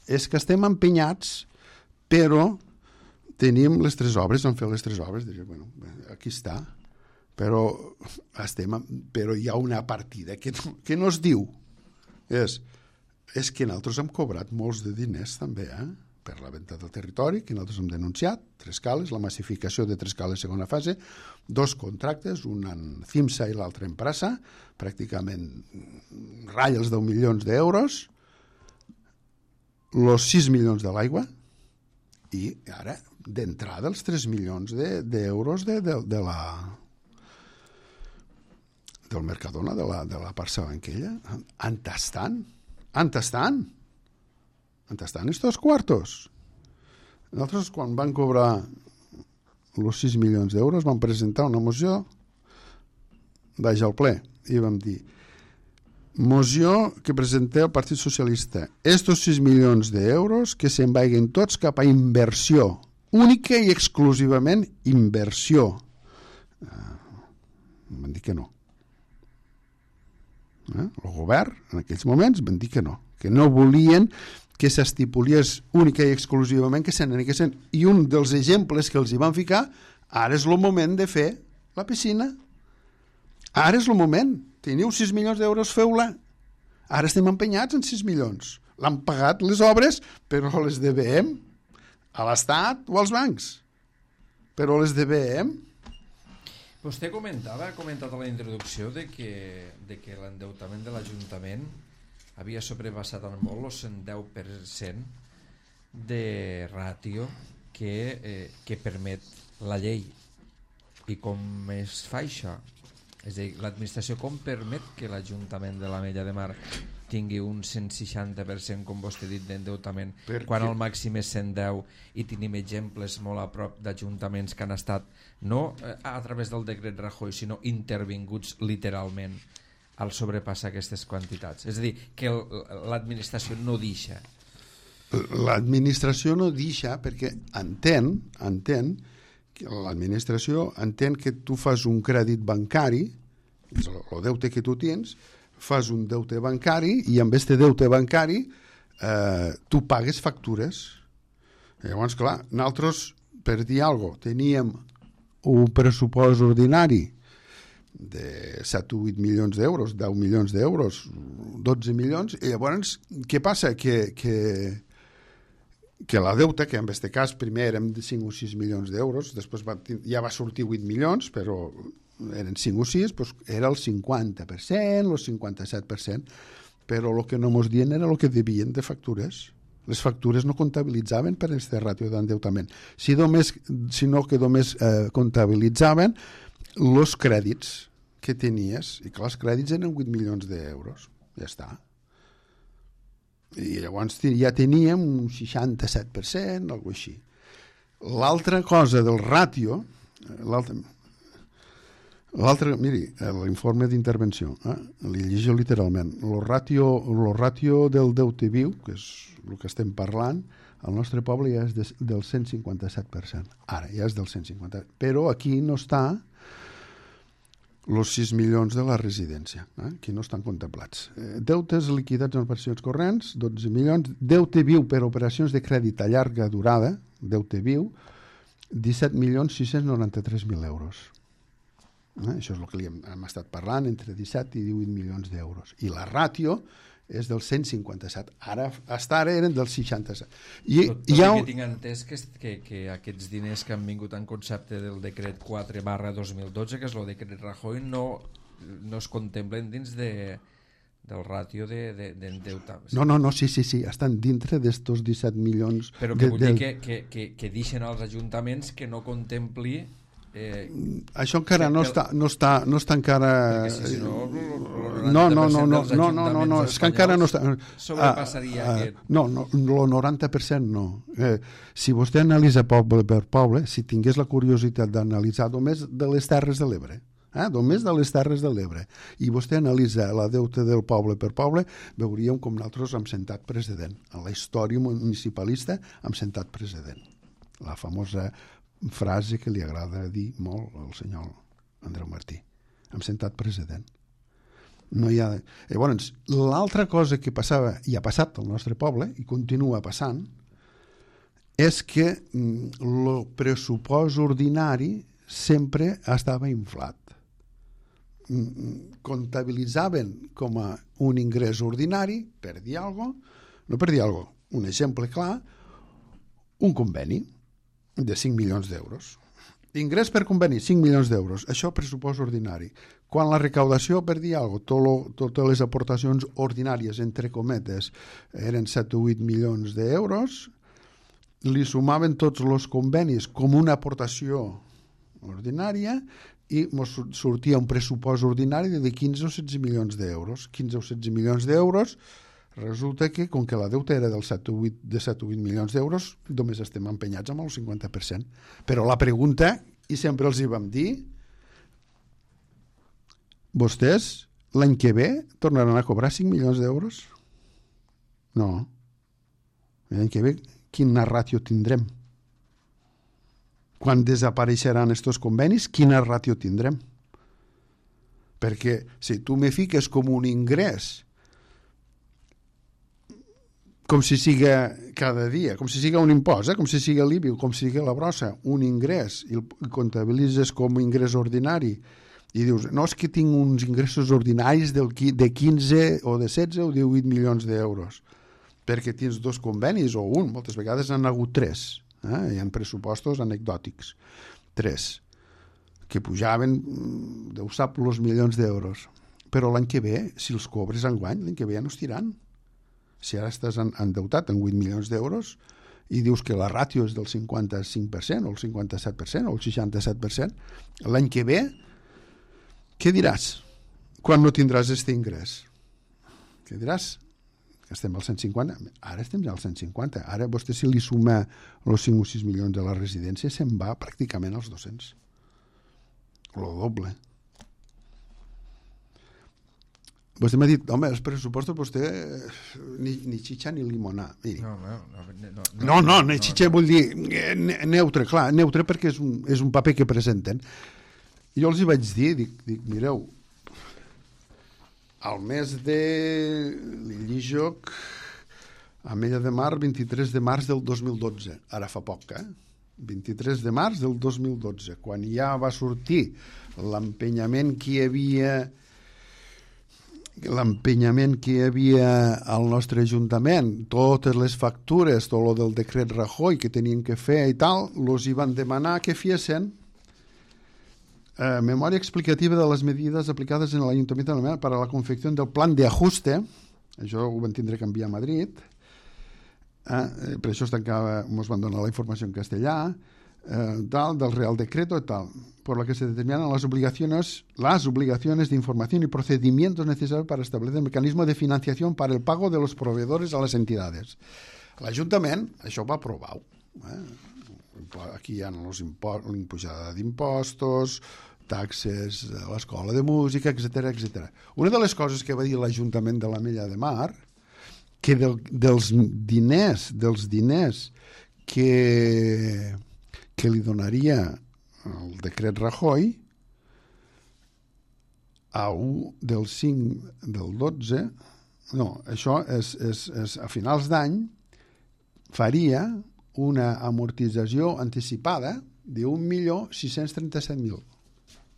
és que estem empenyats, però tenim les tres obres, vam fer les tres obres, diria, bueno, aquí està, però, estem, però hi ha una partida que no, que no es diu. És, és que nosaltres hem cobrat molts de diners també, eh? Per la venda del territori, que nosaltres hem denunciat, tres cales, la massificació de tres cales segona fase, dos contractes, un en CIMSA i l'altre en Prasa, pràcticament ratlla els deu milions d'euros, els sis milions de l'aigua, i ara, d'entrada, els tres milions d'euros de, de, de la del Mercadona, de la, de la Barça Banquella. On estan? On estan? On estan estos cuartos? Nosaltres, quan van cobrar els sis milions d'euros, vam presentar una moció baix al ple i vam dir, moció que presenteu el Partit Socialista, estos sis milions d'euros que se'n vagin tots cap a inversió, única i exclusivament inversió. Uh, van dir que no. Eh? El govern, en aquells moments, van dir que no, que no volien que s'estipulés única i exclusivament que se n'aniguessin. I un dels exemples que els hi van ficar, ara és el moment de fer la piscina. Ara és el moment. Teniu sis milions d'euros, feu-la. Ara estem empenyats en sis milions. L'han pagat les obres, però les devem a l'Estat o als bancs. Però les devem. Vostè comentava, ha comentat a la introducció de que, de que l'endeutament de l'Ajuntament havia sobrepassat en molt el cent deu per cent de ràtio que, eh, que permet la llei. I com es fa això? És a dir, l'administració com permet que l'Ajuntament de l'Ametlla de Mar tingui un cent seixanta per cent, com vostè ha dit, d'endeutament, Perquè... quan el màxim és cent deu, i tenim exemples molt a prop d'ajuntaments que han estat no a través del decret Rajoy, sinó intervinguts literalment al sobrepassar aquestes quantitats. És a dir, que l'administració no deixa. L'administració no deixa perquè entén, entén que l'administració entén que tu fas un crèdit bancari, el deute que tu tens, fas un deute bancari i amb aquest deute bancari eh, tu pagues factures. I llavors, clar, nosaltres, per dir alguna cosa, teníem un pressupost ordinari de set o vuit milions d'euros, deu milions d'euros, dotze milions, i llavors què passa? Que, que, que la deuta, que en aquest cas primer érem de cinc o sis milions d'euros, després va, ja va sortir vuit milions, però eren cinc o sis, doncs era el cinquanta per cent, el cinquanta-set per cent, però el que no mos dient era el que devien de factures. Les factures no comptabilitzaven per aquesta ràtio d'endeutament, si només, sinó que només eh, comptabilitzaven els crèdits que tenies, i que els crèdits eren vuit milions d'euros, ja està. I llavors ja teníem un seixanta-set per cent, alguna cosa així. L'altra cosa del ràtio, l'altre, l'altre, miri, l'informe d'intervenció, eh? Li llegeixo literalment, el ràtio, el ràtio del deute viu, que és el que estem parlant, al nostre poble ja és de, del cent cinquanta-set per cent. Ara ja és del cent cinquanta per cent. Però aquí no està els sis milions de la residència, eh? Aquí no estan contemplats. Eh, deutes liquidats en operacions corrents, dotze milions. Deute viu per operacions de crèdit a llarga durada, deute viu, disset milions sis-cents noranta-tres mil euros. Eh? Això és el que li hem, hem estat parlant, entre disset i divuit milions d'euros. I la ràtio és del cent cinquanta-set. Ara, fins ara eren del seixanta-set. I, tot tot hi ha... que tinc entès que, que, que aquests diners que han vingut en concepte del decret quatre barra dos mil dotze, que és el decret Rajoy, no, no es contemplen dins de, del ràtio d'endeutament. De, de, no, no, no, sí, sí, sí, estan dintre d'estos disset milions. Però que de, vull de... dir que, que, que, que deixen als ajuntaments que no contempli... Eh, això encara no està, no està, no està encara... Perquè si, si no, no, no, no, no, no, no, no, no, és que encara no està... Sobrepassaria uh, uh, aquest... No, no, el noranta per cent no. Eh, si vostè analitza poble per poble, si tingués la curiositat d'analitzar només de les Terres de l'Ebre, eh, només de les Terres de l'Ebre, i vostè analitza la deuta del poble per poble, veuríem com nosaltres hem sentat president. En la història municipalista hem sentat president. La famosa frase que li agrada dir molt al senyor Andreu Martí. Hem sentat president. No hi ha... Llavors, l'altra cosa que passava, i ha passat al nostre poble, i continua passant, és que el pressupost ordinari sempre estava inflat. Comptabilitzaven com a un ingrés ordinari, per dir alguna cosa, no per dir alguna cosa, un exemple clar, un conveni de cinc milions d'euros. Ingrés per conveni, cinc milions d'euros. Això pressupost ordinari. Quan la recaudació, per dir alguna cosa, tot totes les aportacions ordinàries, entre cometes, eren set o vuit milions d'euros, li sumaven tots els convenis com una aportació ordinària i ens sortia un pressupost ordinari de quinze o setze milions d'euros. quinze o setze milions d'euros. Resulta que, com que la deuta era del set o vuit, de set o vuit milions d'euros, només estem empenyats amb el cinquanta per cent. Però la pregunta, i sempre els hi vam dir, vostès l'any que ve tornaran a cobrar cinc milions d'euros? No. L'any que ve, quina ràtio tindrem? Quan desapareixeran estos convenis, quina ràtio tindrem? Perquè si tu me fiques com un ingrés com si siga cada dia, com si siga un impost, eh? Com si siga l'I B I, com si siga la brossa, un ingrés, i el comptabilitzes com un ingrés ordinari, i dius, no, és que tinc uns ingressos ordinaris del, de quinze o de setze o divuit milions d'euros, perquè tens dos convenis, o un, moltes vegades han hagut tres, eh? Hi ha pressupostos anecdòtics, tres, que pujaven, Déu sap, els milions d'euros. Però l'any que ve, si els cobres enguany, l'any que ve ja no es tiran. Si ara estàs endeutat en vuit milions d'euros i dius que la ràtio és del cinquanta-cinc per cent o el cinquanta-set per cent o el seixanta-set per cent, l'any que ve, què diràs quan no tindràs aquest ingrés? Què diràs? Que estem al cent cinquanta? Ara estem ja al cent cinquanta. Ara vostè, si li suma els cinc o sis milions de la residència, se'n va pràcticament als dos-cents. Lo doble. Vostè m'ha dit, home, els pressupostos vostè ni, ni xitxa ni limonà. Miri. No, no, no, no, no, no, ni xitxa no, no. Vull dir neutre, clar, neutre perquè és un, és un paper que presenten. Jo els hi vaig dir, dic, dic mireu, al mes de l'Illijoc, a Mella de Mar, vint-i-tres de març del dos mil dotze, ara fa poc, eh? vint-i-tres de març del dos mil dotze, quan ja va sortir l'empenyament que hi havia l'empenyament que hi havia al nostre Ajuntament, totes les factures, tot el del decret Rajoy que tenien que fer i tal, els hi van demanar que fiessin eh, memòria explicativa de les medidas aplicadas en l'Ayuntamiento de Almenar para la confección del plan de ajuste. Això ho van tindre que enviar a Madrid, eh, per això es tancava, ens van donar la informació en castellà, eh, tal, del Real Decreto i tal, por la que se determinan las obligaciones, las obligaciones de información y procedimientos necesarios para establecer el mecanismo de financiación para el pago de los proveedores a las entidades. L'Ajuntament això va aprovar. Eh? Aquí hi ha l'imposada d'impostos, taxes a l'escola de música, etcètera, etcètera. Una de les coses que va dir l'Ajuntament de la Mella de Mar, que del, dels diners, dels diners que, que li donaria el decret Rajoy, a un del cinc del dotze, no, això és, és, és a finals d'any, faria una amortització anticipada d'un milió sis-cents trenta-set mil.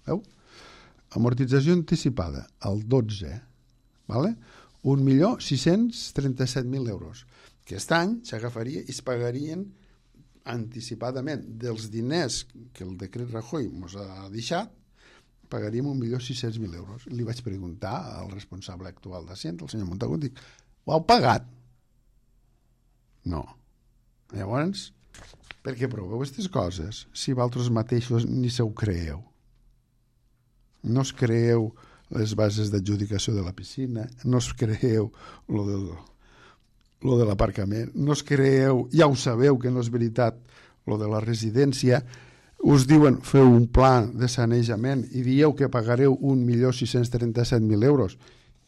Veu? Amortització anticipada, el dotze, vale? un milió sis-cents trenta-set mil euros. Aquest any s'agafaria i es pagarien anticipadament dels diners que el decret Rajoy ens ha deixat, pagaríem un milió sis-cents mil euros. Li vaig preguntar al responsable actual d'Hacienda, el senyor Montagut, dic, ho heu pagat? No. Llavors, per què proveu aquestes coses si vosaltres mateixos ni se ho creeu? No es creeu les bases d'adjudicació de la piscina, no es creeu lo del, lo de l'aparcament, no es creeu, ja ho sabeu que no és veritat lo de la residència, us diuen feu un pla de sanejament i dieu que pagareu un milió sis-cents trenta-set mil euros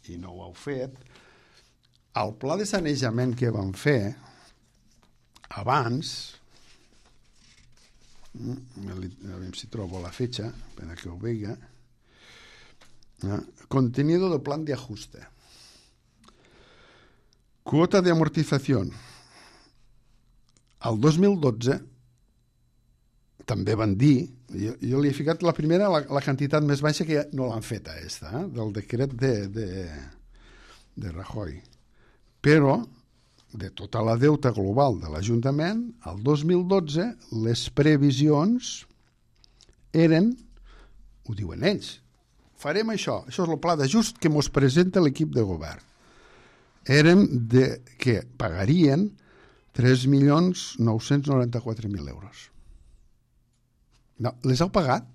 i no ho heu fet. El pla de sanejament que vam fer abans, a veure si trobo la fetxa per a que ho veiga, eh? Contenido del plan de ajuste, quota de amortización. Al dos mil dotze també van dir, jo, jo li he ficat la primera, la, la quantitat més baixa que no l'han feta, esta, eh? Del decret de, de, de Rajoy. Però, de tota la deuta global de l'Ajuntament, al dos mil dotze les previsions eren, ho diuen ells, farem això, això és el pla d'ajust que ens presenta l'equip de govern. Eren de, que pagarien tres milions nou-cents noranta-quatre mil euros. No, les heu pagat?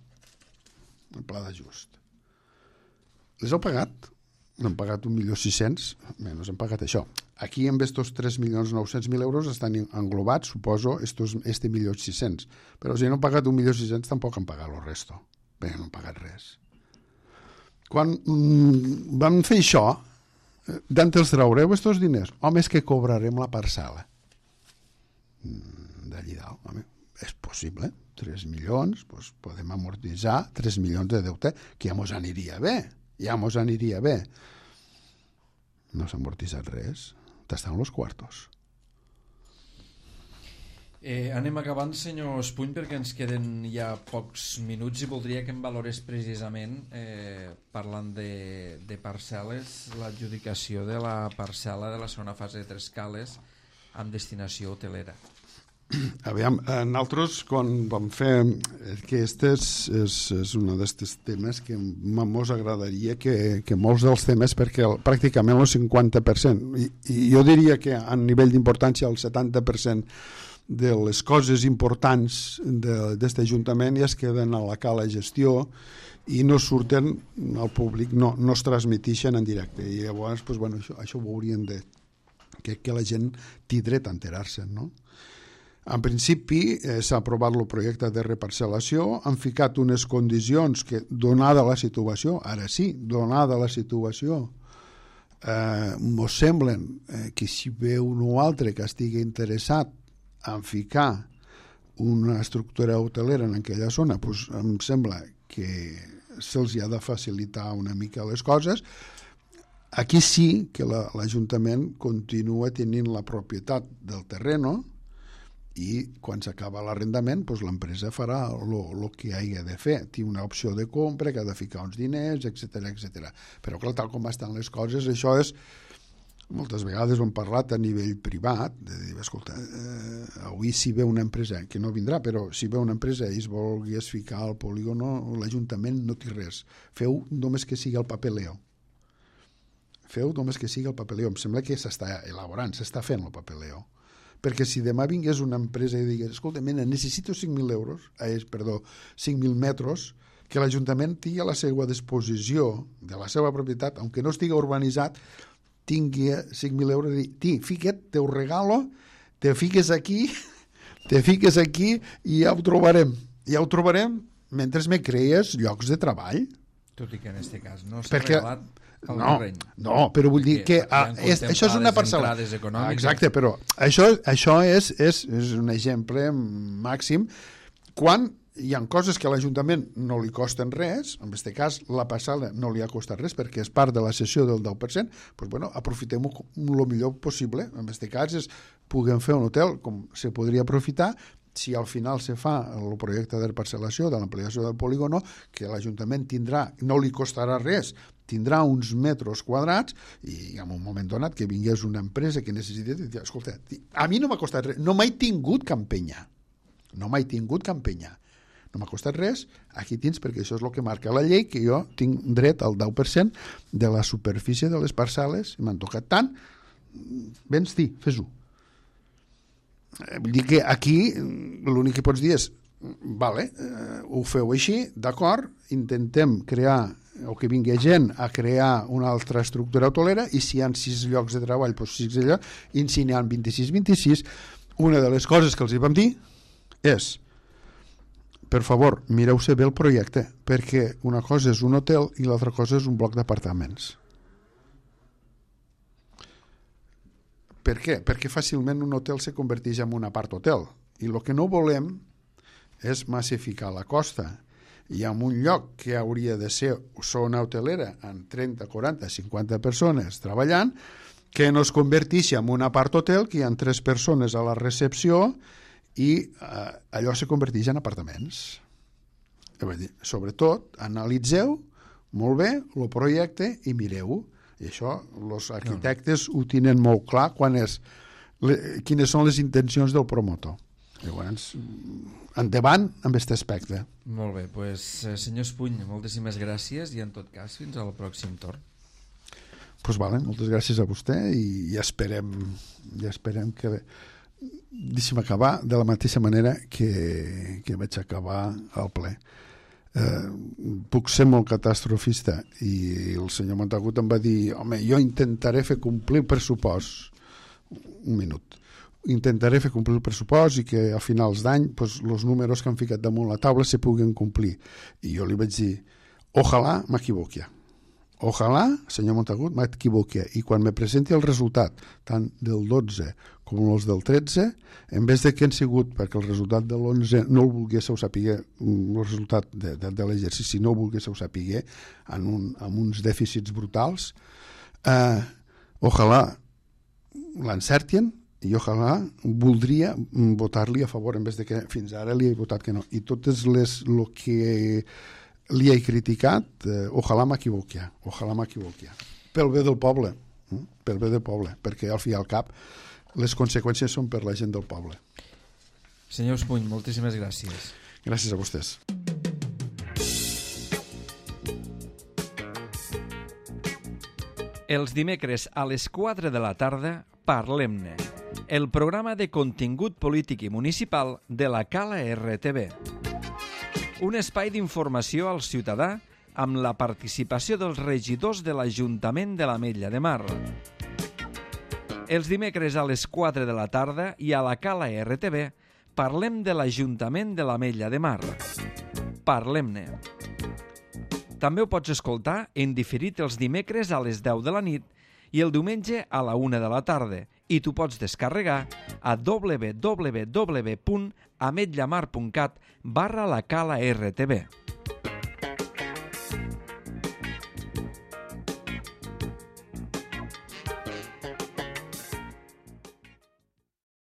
El pla d'ajust. Les heu pagat? N'han pagat un milió sis-cents, menys han pagat això. Aquí amb estos tres milions nou-cents mil euros estan englobats, suposo, estos, este milió sis-cents. Però si no han pagat un milió sis-cents tampoc han pagat el resto. Bé, no han pagat res. Quan mm, vam fer això, d'on els traureu estos diners? Home, és que cobrarem la parcel·la. Mm, d'allí dalt, home, és possible. tres milions, doncs podem amortitzar tres milions de deute, que ja mos aniria bé. Ja mos aniria bé. No s'ha amortitzat res. T'estan los quartos. Eh, anem acabant, senyor Espuny, perquè ens queden ja pocs minuts i voldria que em valorés precisament, eh, parlant de, de parcel·les, l'adjudicació de la parcel·la de la segona fase de Tres Cales amb destinació hotelera. Aviam, nosaltres quan vam fer que este és, és, és un d'aquests temes que mos agradaria que, que molts dels temes, perquè el, pràcticament el cinquanta per cent, i, i jo diria que a nivell d'importància el setanta per cent de les coses importants d'aquest Ajuntament ja es queden a la cala gestió i no surten al públic, no, no es transmetixen en directe, i llavors pues, bueno, això, això ho haurien de que, que la gent té dret a enterar-se, no? En principi eh, s'ha aprovat el projecte de reparcel·lació, han ficat unes condicions que, donada la situació, ara sí, donada la situació, eh, mos semblen eh, que si ve un o altre que estigui interessat en ficar una estructura hotelera en aquella zona, pues, em sembla que se'ls ha de facilitar una mica les coses. Aquí sí que la, l'Ajuntament continua tenint la propietat del terreno, i quan s'acaba l'arrendament pues, l'empresa farà el que hagi de fer, té una opció de compra que ha de ficar uns diners, etcètera etcètera. Però clar, tal com estan les coses, això és, moltes vegades ho hem parlat a nivell privat, de dir, escolta, eh, avui si ve una empresa, que no vindrà, però si ve una empresa i es volgués ficar al polígono, l'Ajuntament no té res, feu només que sigui el papeleo, feu només que sigui el papeleo. Em sembla que s'està elaborant, s'està fent el papeleo. Perquè si demà vingués una empresa i digués, escolta, mena, necessito cinc mil euros, eh, perdó, cinc mil metres, que l'Ajuntament tingui a la seva disposició de la seva propietat, aunque no estigui urbanitzat, tingui cinc mil euros i dir, ti, fica't, te ho regalo, te fiques aquí, te fiques aquí i ja ho trobarem. Ja ho trobarem mentre me crees llocs de treball. Tot i que en aquest cas no s'ha Perquè... regalat el no, terreny. no, però vull dir que ah, és, això és una parcel·la. Exacte, però això, això és, és, és un exemple màxim quan hi ha coses que a l'Ajuntament no li costen res, en aquest cas la parcel·la no li ha costat res perquè és part de la cessió del deu per cent, doncs, bueno, aprofitem-ho el millor possible. En aquest cas és, puguem fer un hotel com se podria aprofitar si al final se fa el projecte de parcel·lació, de l'ampliació del polígono, que l'Ajuntament tindrà, no li costarà res, tindrà uns metres quadrats i en un moment donat que vingués una empresa que necessita, escolta, a mi no m'ha costat res, no m'he tingut campenya, no m'he tingut campenya, no m'ha costat res, aquí tens, perquè això és el que marca la llei, que jo tinc dret al deu per cent de la superfície de les parcel·les, i m'han tocat tant, vens, dir, fes-ho. Vull dir que aquí l'únic que pots dir és, vale, eh, ho feu així, d'acord, intentem crear, o que vingui gent a crear una altra estructura hotelera, i si hi ha sis llocs de treball, doncs sis llocs, i si n'hi ha vint-i-sis, vint-i-sis, una de les coses que els hi vam dir és, per favor, mireu-se bé el projecte, perquè una cosa és un hotel i l'altra cosa és un bloc d'apartaments. Per què? Perquè fàcilment un hotel se converteix en un apart-hotel, i el que no volem és massificar la costa. I en un lloc que hauria de ser zona hotelera amb trenta, quaranta, cinquanta persones treballant, que no es converteixi en un apart-hotel, que hi ha tres persones a la recepció i eh, allò se converteix en apartaments. Vull dir, sobretot, analitzeu molt bé el projecte i mireu. I això, els arquitectes ho tenen molt clar quan és, le, quines són les intencions del promotor. Llavors, endavant amb aquest aspecte. Molt bé, doncs, senyor Espuny, moltíssimes gràcies i en tot cas fins al pròxim torn. Doncs pues vale, moltes gràcies a vostè i, i esperem, i esperem que deixi'm acabar de la mateixa manera que, que vaig acabar al ple. Eh, puc ser molt catastrofista i el senyor Montagut em va dir, home, jo intentaré fer complir el pressupost. Un minut. Intentaré fer complir el pressupost i que a finals d'any pues, els números que han ficat damunt la taula se puguen complir. I jo li vaig dir, ojalà m'equivoqui. Ojalà, senyor Montagut, m'equivoqui. I quan me presenti el resultat, tant del dotze com els del tretze, en vez de que han sigut, perquè el resultat de l'onze no el volguéssiu saber, el resultat de, de, de l'exercici no el volguéssiu saber, en, un, en uns dèficits brutals, eh, ojalà l'encertin i ojalà voldria votar-li a favor en vez de que fins ara li he votat que no. I totes les el que li he criticat, eh, ojalà m'equivoqui, ojalà m'equivoqui. Pel bé del poble, eh? pel bé del poble, perquè al fi i al cap les conseqüències són per la gent del poble. Senyor Espuny, moltíssimes gràcies. Gràcies a vostès. Els dimecres a les quatre de la tarda, Parlem-ne, el programa de contingut polític i municipal de la Cala R T V. Un espai d'informació al ciutadà amb la participació dels regidors de l'Ajuntament de l'Ametlla de Mar. Els dimecres a les quatre de la tarda i a la Cala R T V parlem de l'Ajuntament de l'Ametlla de Mar. Parlem-ne. També ho pots escoltar en diferit els dimecres a les deu de la nit i el diumenge a la una de la tarda i tu pots descarregar a w w w punt ametlamar punt cat barra la Cala R T V.